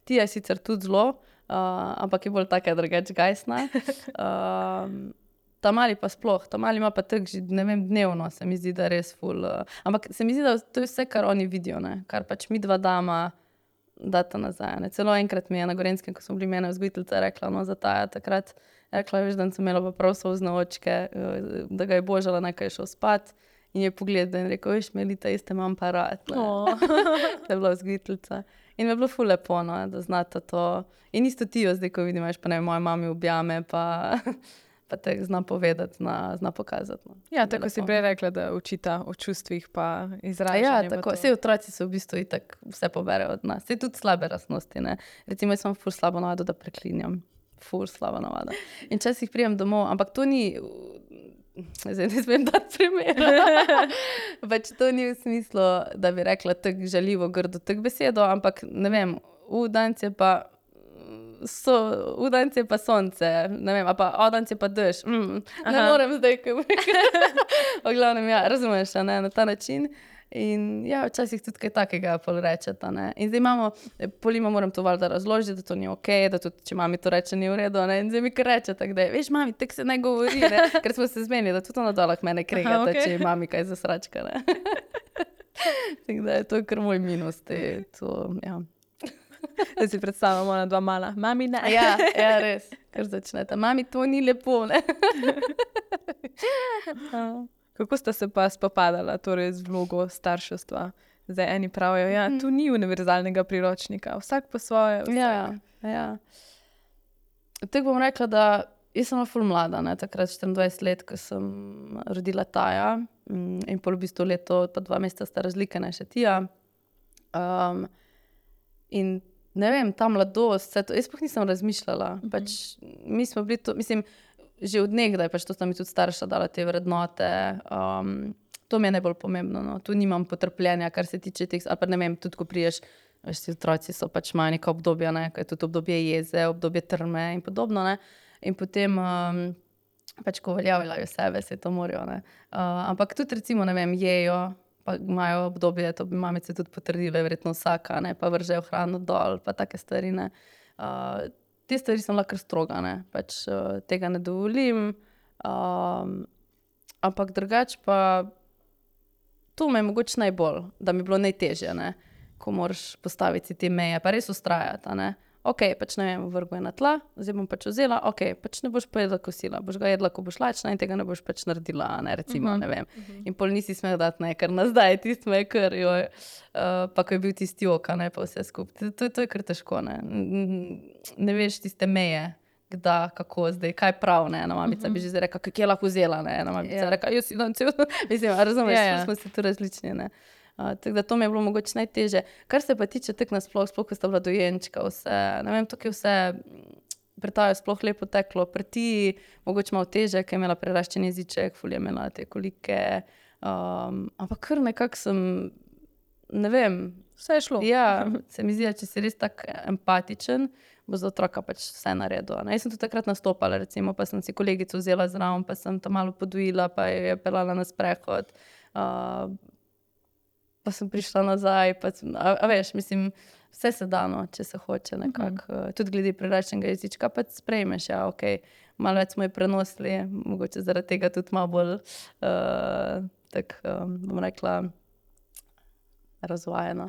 Tija je sicer tudi zelo, ampak je bolj taka drugače gajsna. Ta mali pa sploh, ta mali ima pa tako že, ne vem, dnevno se mi zdi, da res ful, ampak se mi zdi, da to je vse, kar oni vidijo, ne, kar pač mi 2 dama data nazaj, ne. Celo enkrat mi je na Gorenjskem, ko smo bili mene vzgojiteljica, rekla, no, za Taja takrat, rekla, veš, da sem imela pa prav solzne očke, da ga je božala, naj je šel spat. In je pogledal in rekel, veš, Melita, jaz te imam pa rad, ne. To je bila vzgojiteljica. In mi je bilo ful lepo, no, da znata to. In isto Tijo zdaj, ko vidim, veš, pa ne, moja mami objame, pa te zna povedati, zna pokazati, no. Ja, tako si prej rekla, da učita o čustvih pa izražanju. Ja, tako, vse otroci so v bistvu itak vse poberejo od nas. Saj tudi slabe lastnosti, ne. Recimo, jaz imam ful slabo navado, da preklinjam. Ful slaba navada. In včasih pridem domov, ampak to ni, zdaj ne smem dati primera. Pač to ni v smislu, da bi rekla tako žaljivo, grdo, tako besedo, ampak ne vem, danes je pa sonce, ne vem, a pa danes je pa dež. Ne morem zdaj, kaj bi rekla. V glavnem, ja, razumeš, ne, na ta način. In ja, včasih tudi kaj takega pol rečeta, ne. In zdaj imamo, Polima moram to valjda razložiti, da to ni okej, da tudi, če mami to reče, ni v redu, ne. In zdaj mi kar reče tako, da je, veš, mami, tako se ne govori, ne. Ker smo se zmenili, da tudi ona dolah mene kregata, če je mami kaj zasračka, ne. Tako da je to kar moj minus, to, ja. Da si predstavljamo ona 2 mala. Mami, ne. Ja, res, kar začneta. Mami, to ni lepo, ne. Kako sta se pa spopadala, torej z vlogo starševstva? Zdaj eni pravijo, ja, tu ni univerzalnega priročnika, vsak po svoje. Ja. Tako bom rekla, da jaz sem ful mlada, ne, takrat 24 let, ko sem rodila Taja in pol v bistvu leto pa 2 meseca sta razlika, ne, še Tija. In ne vem, ta mladost, vse to, jaz sploh nisem razmišljala. Pač mi smo bili to, mislim, že od nekdaj, pač to sta mi tudi starša dala te vrednote. To mi je najbolj pomembno, no. Tu nimam potrpljenja, kar se tiče teh, ali pa ne vem, tudi ko priješ, veš, ti otroci so pač imajo neka obdobja, ne, ko je tudi obdobje jeze, obdobje trme in podobno, ne. In potem pač ko uveljavljajo sebe, se to morajo, ne. Ampak tudi recimo, ne vem, jejo, pa imajo obdobje, to bi mamice tudi potrdile, verjetno vsaka, ne, pa vržejo hrano dol, pa take stvari, ne. Te stvari sem lahko stroga, ne, pač tega ne dovolim, ampak drugače pa to me je mogoče najbolj, da mi je bilo najtežje, ne, ko moraš postaviti te meje, pa res ustrajati, ne. Ok, pač ne vem, vrgo je na tla, zdaj bom pač vzela, ok, pač ne boš pa jedla kosila, boš ga jedla, ko boš lačna in tega ne boš pač naredila, ne, recimo, ne vem. In pol nisi smel dati, ne, ker nazdaj, tisto me je kar, joj, pa ko je bil tisti jok, ne, pa vse skupaj, to je kar težko, ne. Ne veš tiste meje, kdaj, kako zdaj, kaj prav, ne, ena mamica bi že zdaj rekla, kak je lahko vzela, ne, ena mamica rekla, jaz si dan cel, mislim, razumeš, smo si tu različni, ne. Tako da to mi je bilo mogoče najtežje. Kar se pa tiče tako nasploh, sploh, ko sta bila dojenčka, vse, ne vem, tako je vse pri Taju sploh lepo teklo, pri ti mogoče malo težje, ker je imela preraščen jeziček, ful je imela te kolike, ampak kar nekako sem, ne vem, Vse je šlo. ja, se mi zdi, da če si res tak empatičen, bo za otroka pač vse naredil, ne. Jaz sem tudi takrat nastopala, recimo, pa sem si kolegico vzela zraven, pa sem tam malo podojila, pa jo je peljala na sprehod, pa sem prišla nazaj, pa veš, mislim, vse se da, no, če se hoče nekako, tudi glede preraščenega jezička, pa sprejmeš, ja, okej, malo več smo jo prenosili, mogoče zaradi tega tudi malo bolj, tako, bom rekla, razvajena.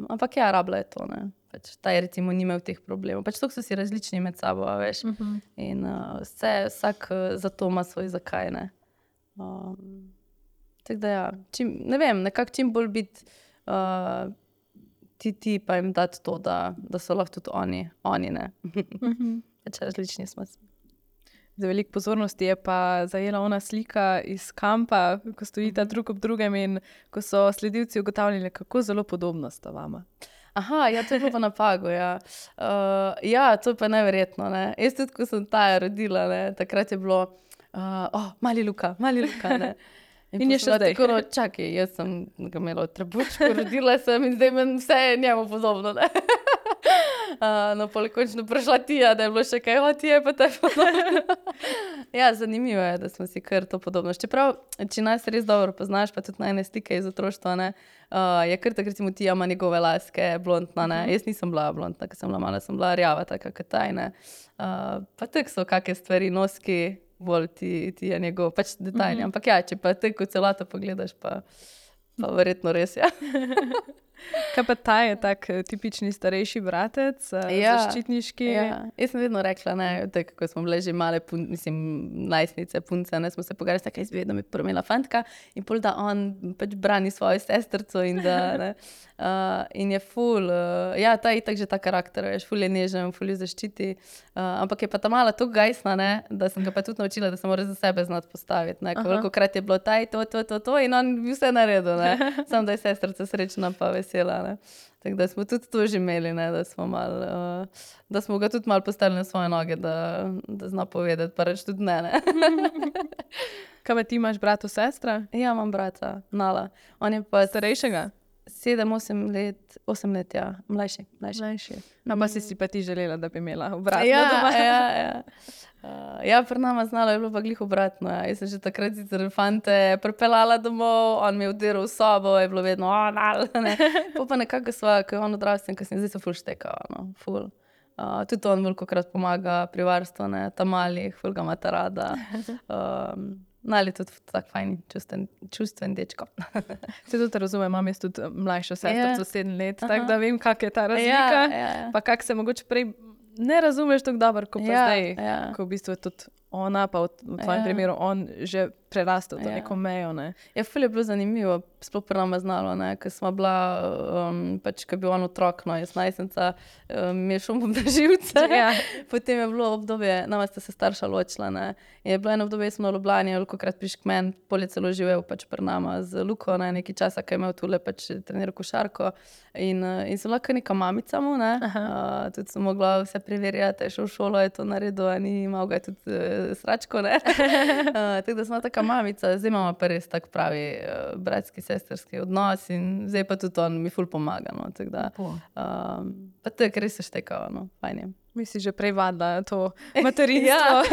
Ampak ja, rabila je to, ne. Pač Taj recimo ni imel teh problemov. Pač toliko so si različni med sabo, a veš. In vsak za to ima svoj zakaj, ne. Tako da ja, ne vem, nekako čim bolj biti ti pa jim dati to, da so lahko tudi oni, ne. Pač različni smo. Za veliko pozornosti je pa zajela ona slika iz kampa, ko stojita drug ob drugem in ko so sledilci ugotavljali, kako zelo podobno sta vama. Aha, ja, to je bilo pa na Pagu, ja. Ja, to je pa neverjetno, ne. Jaz tudi, ko sem Taja rodila, ne, takrat je bilo, mali Luka, ne. In je še zdaj. Tako, no, čakaj, jaz sem ga imela v trebučku, rodila sem in zdaj meni vse je njemu podobno, ne. No, pol je končno prišla Tija, da je bilo še kaj, Tija je pa te podobno. Ja, zanimivo je, da smo si kar to podobno. Čeprav, če nas res dobro poznaš, pa tudi najne slike iz otroštva, ne, je kar tako, recimo Tija ima njegove laske, blondna, ne. Jaz nisem bila blondna, ko sem bila mala, sem bila rjava, taka kot Taj, ne. Pa tako so kake stvari, noski, bolj ti je njegov, pač detajli. Ampak ja, če pa tako celoto pogledaš, pa verjetno res, ja. Kaj pa Taj je tak tipični starejši bratec, zaščitniški? Ja. Jaz sem vedno rekla, ne, tako, ko smo bile že male, najstnice, punce, ne, smo se pogovarjali, tako jaz bi vedno imela fantka in pol da on pač brani svojo sestrico in da, ne, in je ful, ja, ta je itak že ta karakter, veš, ful je nežen, ful je zaščiti, ampak je pa ta mala toliko gajsna, ne, da sem ga pa tudi naučila, da se mora za sebe znati postaviti, ne, kolikokrat je bilo Taj to in on bi vse naredil, ne, samo da je sestrica srečna pa vesela, ne. Tako da smo tudi to že imeli, ne, da smo malo, da smo ga tudi malo postavili na svoje noge, da zna povedati, pa reči tudi ne. Kaj pa ti imaš brata, sestra? Ja, imam brata, Nala. On je pa Starejšega? 7-8 let, 8 let, ja, mlajši. Pa si pa ti želela, da bi imela obratno doma. Ja, pri nama z Nalo je bilo pa glih obratno, ja. Jaz sem že takrat sicer fante pripeljala domov, on mi je vdiral v sobo, je bilo vedno, Nala, ne. Pa nekako sva, ko je on odrastel, ko sem zdaj se ful štekala, no, ful. Tudi on velikokrat pomaga pri varstvu, ne, ta malih, ful ga imata rada. Nali tudi tak fajn, čustven dečko. Se tudi razumem, imam jaz tudi mlajšo sestrico 7 let, tako da vem, kak je ta razlika, pa kak se mogoče prej ne razumeš tako dobro, ko pa zdaj, ko v bistvu je tudi ona, pa v tvojem primeru on že prerastel to neko mejo, ne. Ja, ful je bilo zanimivo. sploh pri nama znalo, ker smo bila, pač, ko je bil on otrok, no, jaz najstnica, mi je šel na živce. Ja. Potem je bilo obdobje, nama sta se starša ločila, ne. Je bilo eno obdobje, smo v Ljubljani, velikokrat prišel k meni, pol je celo živel pač pri nama z Luko, ne, nekaj časa, ko je imel tule pač treniral košarko. In sem lahko neka mamica mu, ne. Tudi sem mogla vse preverjati, je šel v šolo, je to naredil, a ni imel ga tudi sračko, ne. Tako da sem taka mamica, zdaj imamo pa res tak pravi bratski, sesterski odnos in zdaj pa tudi on mi ful pomaga, no, tako da. Pa to je, ker res se štekava, no, fajn je. Mi si že prej vadila to materinstvo.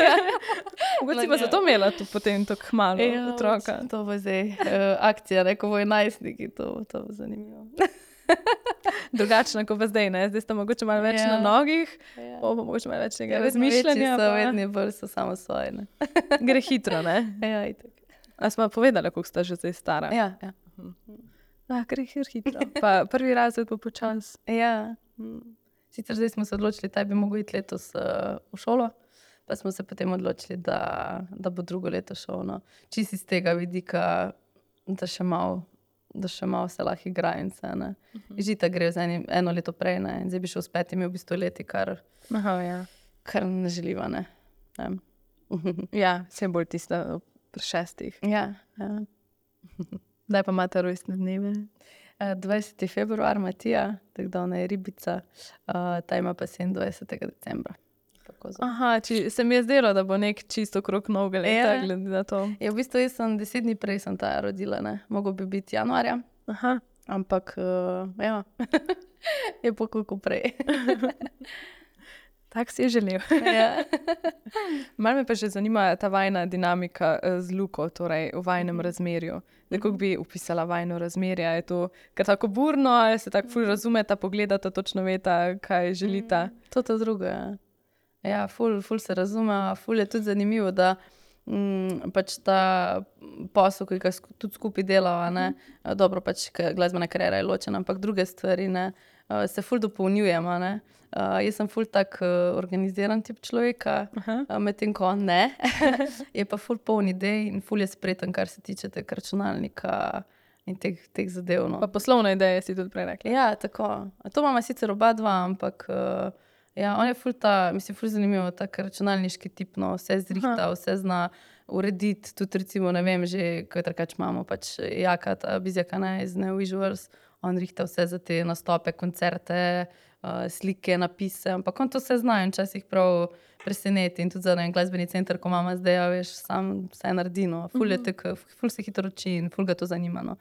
Mogoče si pa zato imela tu potem tako malo otroka. To bo zdaj akcija, ko bojo najstniki, to bo zanimivo. Drugačno, kot pa zdaj, ne? Zdaj sta mogoče malo več na nogih, pa mogoče malo več tega razmišljanja. Vedno bolj so samo svoje, ne. Gre hitro, ne? Ja, itak. A smo povedala, koliko sta že zdaj stara? Ja. Gre hitro. Pa prvi razred bo počas. Ja. Sicer zdaj smo se odločili, da bi mogel iti letos v šolo, pa smo se potem odločili, da bo drugo leto šel. No. Čisto iz tega vidika, da še malo se lahko igra in vse. Žita gre z eno leto prej, ne. In zdaj bi šel s 5 v bistvu leti, kar ne želiva. Ne. Ja, vse bolj tista pri 6. Ja. Daj pa imate rojstne dneve. 20. februar Matija, tako da ona je ribica, ta ima pa 27. decembra. Aha, se mi je zdelo, da bo nek čisto krog novega leta, glede na to. Ja, v bistvu jaz sem 10 dni prej sem ta rodila, ne. Mogo bi biti januarja, ampak ja, je pa koliko prej. Tak si je želel. Ja. Malo me pa že zanima ta vajna dinamika z Luko, torej v vajnem razmerju. Kako bi opisala vajno razmerje? Je to kar tako burno, ali se tako ful razumeta, pogledata, točno veta, kaj želita? To drugo, ja. Ja, ful se razume, ful je tudi zanimivo, da pač ta posel, ki ga tudi skupaj delava, ne. Dobro, pač glasbena kariera je ločena, ampak druge stvari, ne, se ful dopolnjujemo, ne. Jaz sem ful tak organiziran tip človeka, medtem ko on ne. Je pa ful poln idej in ful je spreten, kar se tiče tega računalnika in teh zadev, no. Pa poslovne ideje si tudi prej rekla. Ja, tako. To imamo sicer oba dva, ampak ja, on je ful ful zanimivo, tak računalniški tip, no, vse zrihta, vse zna urediti, tudi recimo, ne vem, že, ko je trkač imamo, pač Jaka, ta Bizjaka, ne, iz Neo Visuals, on rihta vse za te nastope, koncerte, slike, napise, ampak on to vse zna in včasih prav preseneti in tudi za glasbeni center, ko imamo zdaj, ja, veš, sam vse naredi, no, ful se hitro uči in ful ga to zanima, no.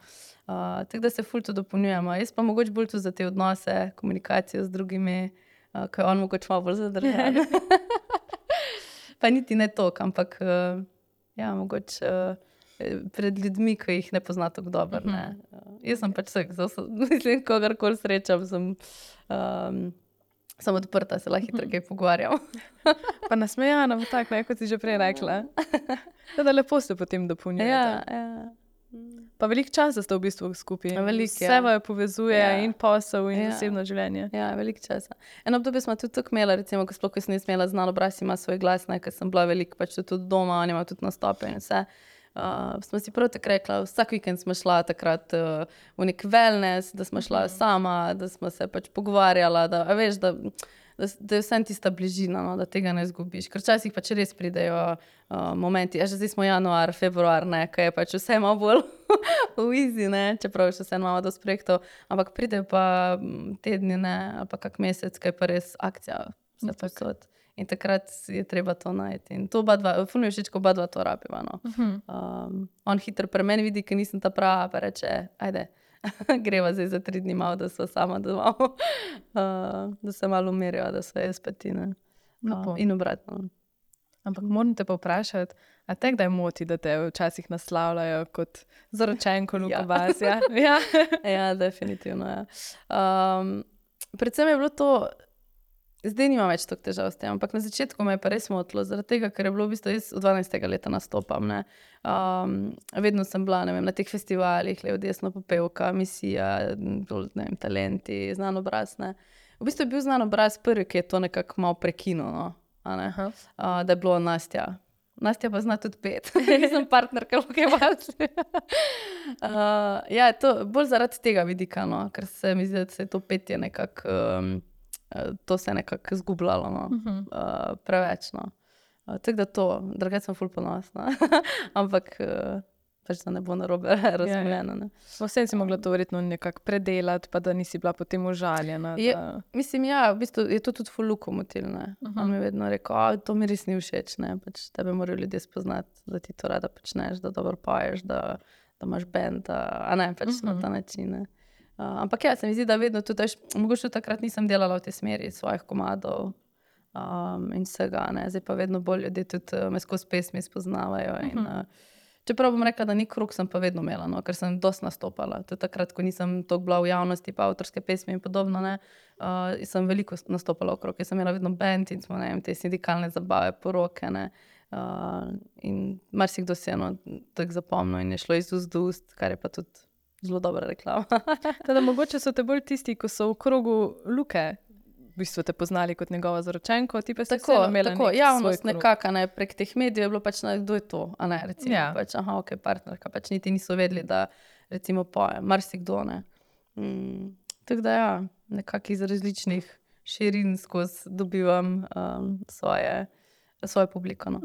Tako da se ful to dopolnjujemo. Jaz pa mogoče bolj tudi za te odnose, komunikacijo z drugimi, ko je on mogoče malo bolj zadržan. Pa niti ne toliko, ampak ja, mogoče pred ljudmi, ko jih ne pozna tako dobro, ne. Jaz sem pač vsak, mislim, kogarkoli srečam, sem odprta, se lahko hitro kaj pogovarjam. Pa nasmejana, tak, ne, kot si že prej rekla. Da lepo se potem dopolnjujete. Ja. Pa veliko časa ste v bistvu skupaj. Vse vaju povezuje, in posel, in osebno življenje. Ja, veliko časa. Eno obdobje smo tudi tako imela, recimo, ko sploh nisem imela Znan obraz, ima svoj glas, ne, ker sem bila veliko pač tudi doma, on ima tudi nastope in vse. Smo si prav tako rekla, vsak vikend smo šla takrat v nek wellness, da smo šla sama, da smo se pač pogovarjala, da veš, da je vsem tista bližina, no, da tega ne izgubiš. Ker včasih pač res pridejo momenti, že zdaj smo januar, februar, ne, ko je pač vse malo bolj v easy, ne, čeprav še vse imamo dosti projektov, ampak pridejo pa tedni, ne, ali pa kak mesec, ko je pa res akcija, vse posod. In takrat je treba to najti. In to ful mi je všeč, ko oba dva to rabiva, no. On hitro pri meni vidi, ker nisem ta prava, pa reče, ajde, greva zdaj za 3 dni malo, da sva sama doma, da se malo umiriva, da sva jaz pa ti, ne. In obratno. Ampak moram te pa vprašati, a te kdaj moti, da te včasih naslavljajo kot zaročenko Luko Bas, ja? Ja, definitivno, ja. Predvsem je bilo to, zdaj nimam več toliko težav s tem, ampak na začetku me je pa res motilo, zaradi tega, ker je bilo v bistvu jaz od 12. leta nastopam, ne. Vedno sem bila, ne vem, na teh festivalih, levo, desno, popevka, misija, ne vem, talenti, Znan obraz, ne. V bistvu je bil Znan obraz prvi, ki je to nekako malo prekinil, no, a ne. Da je bilo Nastja Nastja pa zna tudi pet. Nisem partnerka, kaj vas. Ja, to bolj zaradi tega vidika, no, ker se mi zdi, da se to petje nekako, to se je nekako zgubljalo, no, preveč, no. Tako da to, drugače sem ful ponosna. Ampak pač da ne bo narobe razumljeno, ne. Vsem si mogla to verjetno nekako predelati, pa da nisi bila potem užaljena. Mislim, ja, v bistvu je to tudi ful lokomotiv, ne. On mi je vedno rekel, to mi res ni všeč, ne, pač tebe morajo ljudje spoznati, da ti to rada počneš, da dobro poješ, da imaš band, a ne, pač na ta način, ne. Ampak ja, se mi zdi, da vedno tudi, mogoče takrat nisem delala v tej smeri svojih komadov in vsega, ne. Zdaj pa vedno bolj ljudje tudi me skozi pesmi spoznavajo in čeprav bom rekla, da ni krog, sem pa vedno imela, no, ker sem dosti nastopala. Tudi takrat, ko nisem toliko bila v javnosti, pa avtorske pesmi in podobno, ne, sem veliko nastopala okrog. Jaz sem imela vedno band in smo, ne vem, te sindikalne zabave, poroke, ne, in marsikdo se je tako zapomnil in je šlo iz ust do ust, kar je pa tudi zelo dobra reklama. Teda mogoče so te bolj tisti, ko so v krogu Luke, v bistvu te poznali kot njegova zaročenko, ti pa si vseeno imela nek svoj krog. Javnost nekako, ne, prek teh medijev je bilo pač, kdo je to, a ne, recimo, pač, ok, partnerka, pač niti niso vedeli, da recimo pojem, marsikdo, ne. Tako da ja, nekako iz različnih širin skozi dobivam svojo publiko, no.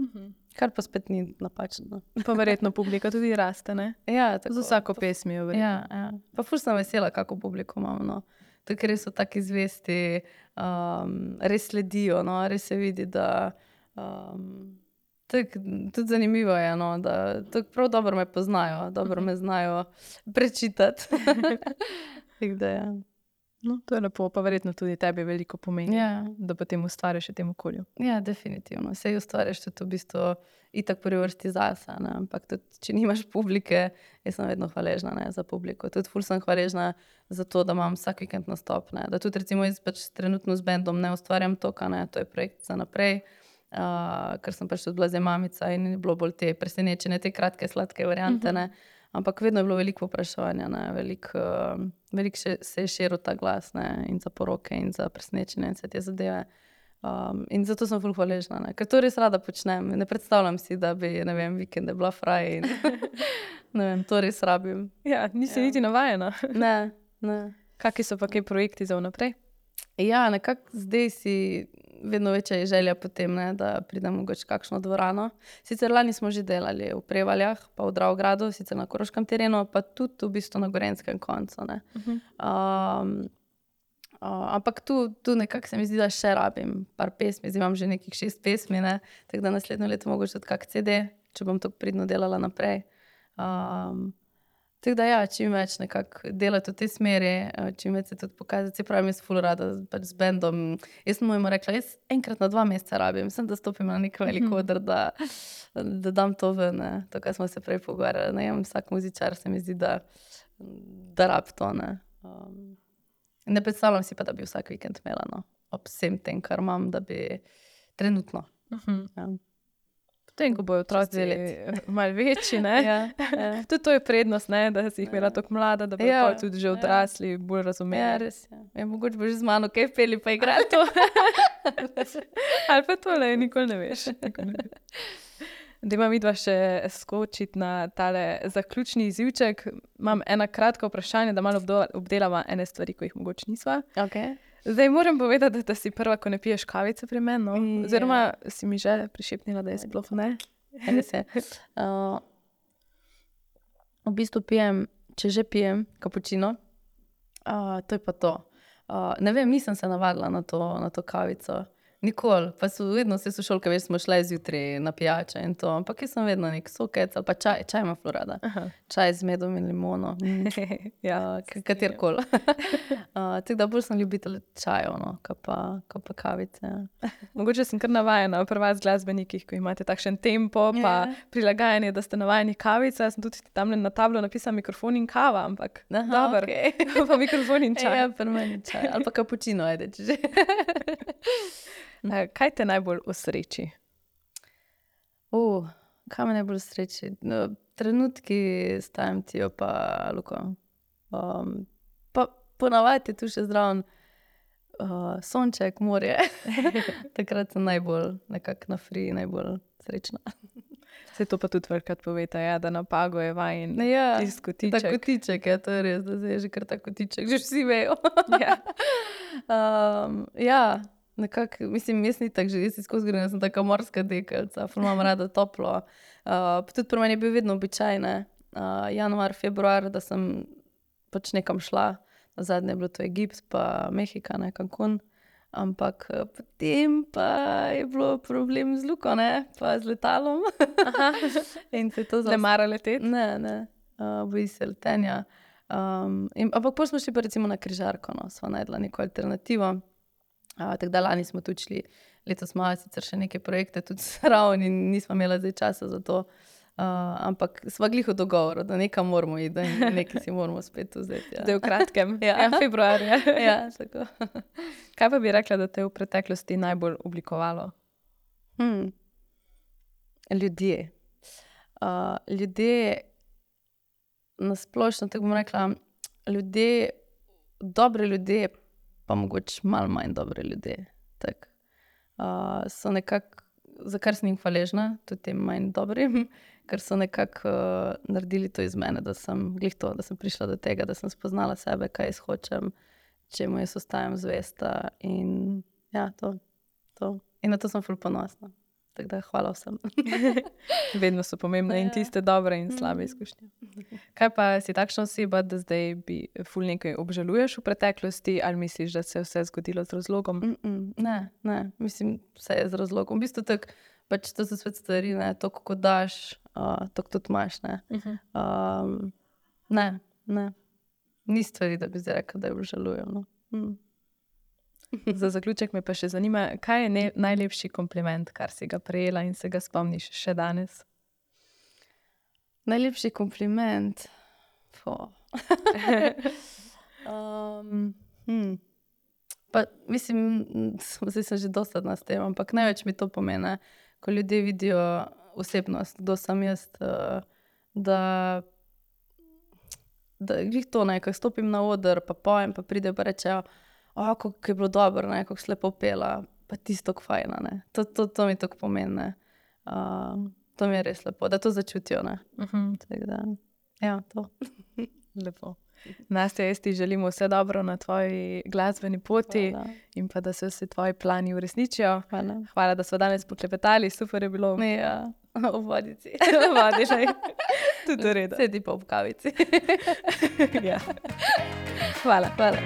Kar pa spet ni napačno. Pa verjetno publika tudi raste, ne? Ja, tako. Z vsako pesmijo, verjetno. Ja. Pa ful sem vesela, kako publiko imam, no. Tako res so taki zvesti, res sledijo, no, res se vidi, da tako tudi zanimivo je, no, da tako prav dobro me poznajo, dobro me znajo prečitati. Tako da, ja. No, to je lepo, pa verjetno tudi tebi veliko pomeni, da potem ustvariš v tem okolju. Ja, definitivno. Sej ustvariš tudi v bistvu itak prvi vrsti zase, ne, ampak tudi, če nimaš publike, jaz sem vedno hvaležna, ne, za publiko. Tudi ful sem hvaležna za to, da imam vsak vikend nastop, ne, da tudi recimo jaz pač trenutno z bandom ne ustvarjam toka, ne, to je projekt za naprej, ker sem pač tudi bila zdaj mamica in je bilo bolj te presenečene, te kratke, sladke variante, ne, ampak vedno je bilo veliko vprašanja, ne, veliko se je širil ta glas, ne, in za poroke in za presenečenje in vse te zadeve. In zato sem ful hvaležna, ne, ker to res rada počnem. Ne predstavljam si, da bi, ne vem, vikende bila fraj in ne vem, to res rabim. Ja, nisi niti navajena. Ne. Kaki so pa kaj projekti za vnaprej? Ja, nekako zdaj si vedno večja je želja potem, ne, da pridem mogoče kakšno dvorano. Sicer lani smo že delali v Prevaljah, pa v Dravogradu, sicer na Koroškem terenu, pa tudi v bistvu na Gorenjskem koncu, ne. Ampak tu nekako se mi zdi, da še rabim par pesmi, zdaj imam že nekih 6 pesmi, ne, tako da naslednjo leto mogoče tudi kak CD, če bom tako pridno delala naprej. Tako da ja, čim več nekako delati v tej smeri, čim več se tudi pokazati, se pravim, jaz ful rada pač z bandom, jaz sem mojemu rekla, jaz enkrat na 2 meseca rabim, sem da stopim na nek velik oder, da dam to ven, ne, to, kar smo se prej pogovarjali, ne vem, vsak muzičar se mi zdi, da rab to, ne. Ne predstavljam si pa, da bi vsak vikend imela, no, ob vsem tem, kar imam, da bi trenutno. Ja. Potem, ko bojo otroci malo večji, ne? Ja. Tudi to je prednost, ne? Da si jih imela tako mlada, da bojo tudi že odrasli, bolj razumeli. Ja, res je. Ja, mogoče bo že z mano kaj peli pa igrali to. Ali pa tole, nikoli ne veš. Da imam midva še skočiti na tale zaključni izivček. Imam ena kratka vprašanja, da malo obdelava ene stvari, ko jih mogoče nisva. Okay. Zdaj moram povedati, da si prva, ko ne piješ kavice pri meni, no? Oziroma si mi že prišepnila, da je sploh ne. Res je. V bistvu pijem, če že pijem kapučino, to je pa to. Ne vem, nisem se navadila na to kavico. Nikoli, pa vedno se sošolke, veš, smo šle zjutraj na pijače in to, ampak jaz sem vedno nek sokec ali pa čaj ima ful rada. Čaj z medom in limono, katerkoli. Tako da bolj sem ljubitelj čajev, no, ko pa kavice. Mogoče sem kar navajena pri vas glasbenikih, ko imate takšen tempo, pa prilagajanje, da ste navajeni kavice. Jaz sem tudi tam na tablo napisala mikrofon in kava, ampak dobro, pa mikrofon in čaj. Ja, pri meni čaj, ali pa kapučino, ajde, če že. Kaj te najbolj osreči? Kaj me najbolj osreči? Trenutki s Timetijo pa Luko. Pa ponavadi je tu še zraven sonček, morje. Takrat sem najbolj nekako na free, najbolj srečna. Se to pa tudi velikrat poveta, ja, da napago je vajen tisti kotiček. Ta kotiček, ja, to je res, da zdaj je že kar ta kotiček, že vsi vejo. Ja, nekako, mislim, jaz ni tako že, jaz skozi grem, jaz sem taka morska dekelca, ful imam rada toplo. Pa tudi pri meni je bil vedno običaj, ne, januar, februar, da sem pač nekam šla, nazadnje je bilo to Egipt, pa Mehika, ne, Cancun. Ampak potem pa je bilo problem z Luko, ne, pa z letalom. In se to Ne mara leteti? Ne, boji se letenja. Ampak potem smo šli pa recimo na križarko, no, sva najdla neko alternativo. Tako da lani smo tudi šli, letos smo sicer še neke projekte tudi zraven in nismo imeli zdaj časa za to. Ampak sva glih v dogovoru, da nekam moramo iti, da nekaj si moramo spet vzeti. Ja. Da je v kratkem, februarja. Ja, tako. Kaj pa bi rekla, da te je v preteklosti najbolj oblikovalo? Ljudje. Ljudje, nasplošno, tako bom rekla, ljudje, dobre ljudje, pa mogoče malo manj dobre ljudje. Tak. So nekako, za kar sem jim hvaležna, tudi tem manj dobrim, ker so nekako naredili to iz mene, da sem glih to, da sem prišla do tega, da sem spoznala sebe, kaj jaz hočem, čemu jaz ostajam zvesta in ja, to. In na to sem ful ponosna. Tako da hvala vsem. Vedno so pomembne in tiste dobre in slabe izkušnje. Kaj pa si takšna oseba, da zdaj bi ful nekaj obžaluješ v preteklosti ali misliš, da se je vse zgodilo z razlogom? Ne, mislim, vse je z razlogom. V bistvu tako, pač to so svet stvari, ne, to kako daš, to tudi imaš, ne. Ne. Ni stvari, da bi zdaj rekla, da jo obžalujem, no. Za zaključek me pa še zanima, kaj je najlepši kompliment, kar si ga prejela in se ga spomniš še danes? Najlepši kompliment? Pa mislim, zdaj sem že dosadna s tem, ampak največ mi to pomeni, ko ljudje vidijo osebnost, kdo sem jaz, da glih to, ne, ko stopim na oder, pa pojem, pa pridejo pa rečejo, kako je bilo dobro, ne, kako si lepo pela, pa tisto fajna, ne. To mi tako pomeni, ne. To mi je res lepo, da to začutijo, ne. Tako da, ja, to. Lepo. Nastja, jaz ti želim vse dobro na tvoji glasbeni poti. Hvala. In pa da se vsi tvoji plani uresničijo. Hvala, da smo danes poklepetali, super je bilo. Ja, v vodici. V vodi, že. Tudi v redu. Sedi pa ob kavici. Ja. Hvala. Hvala.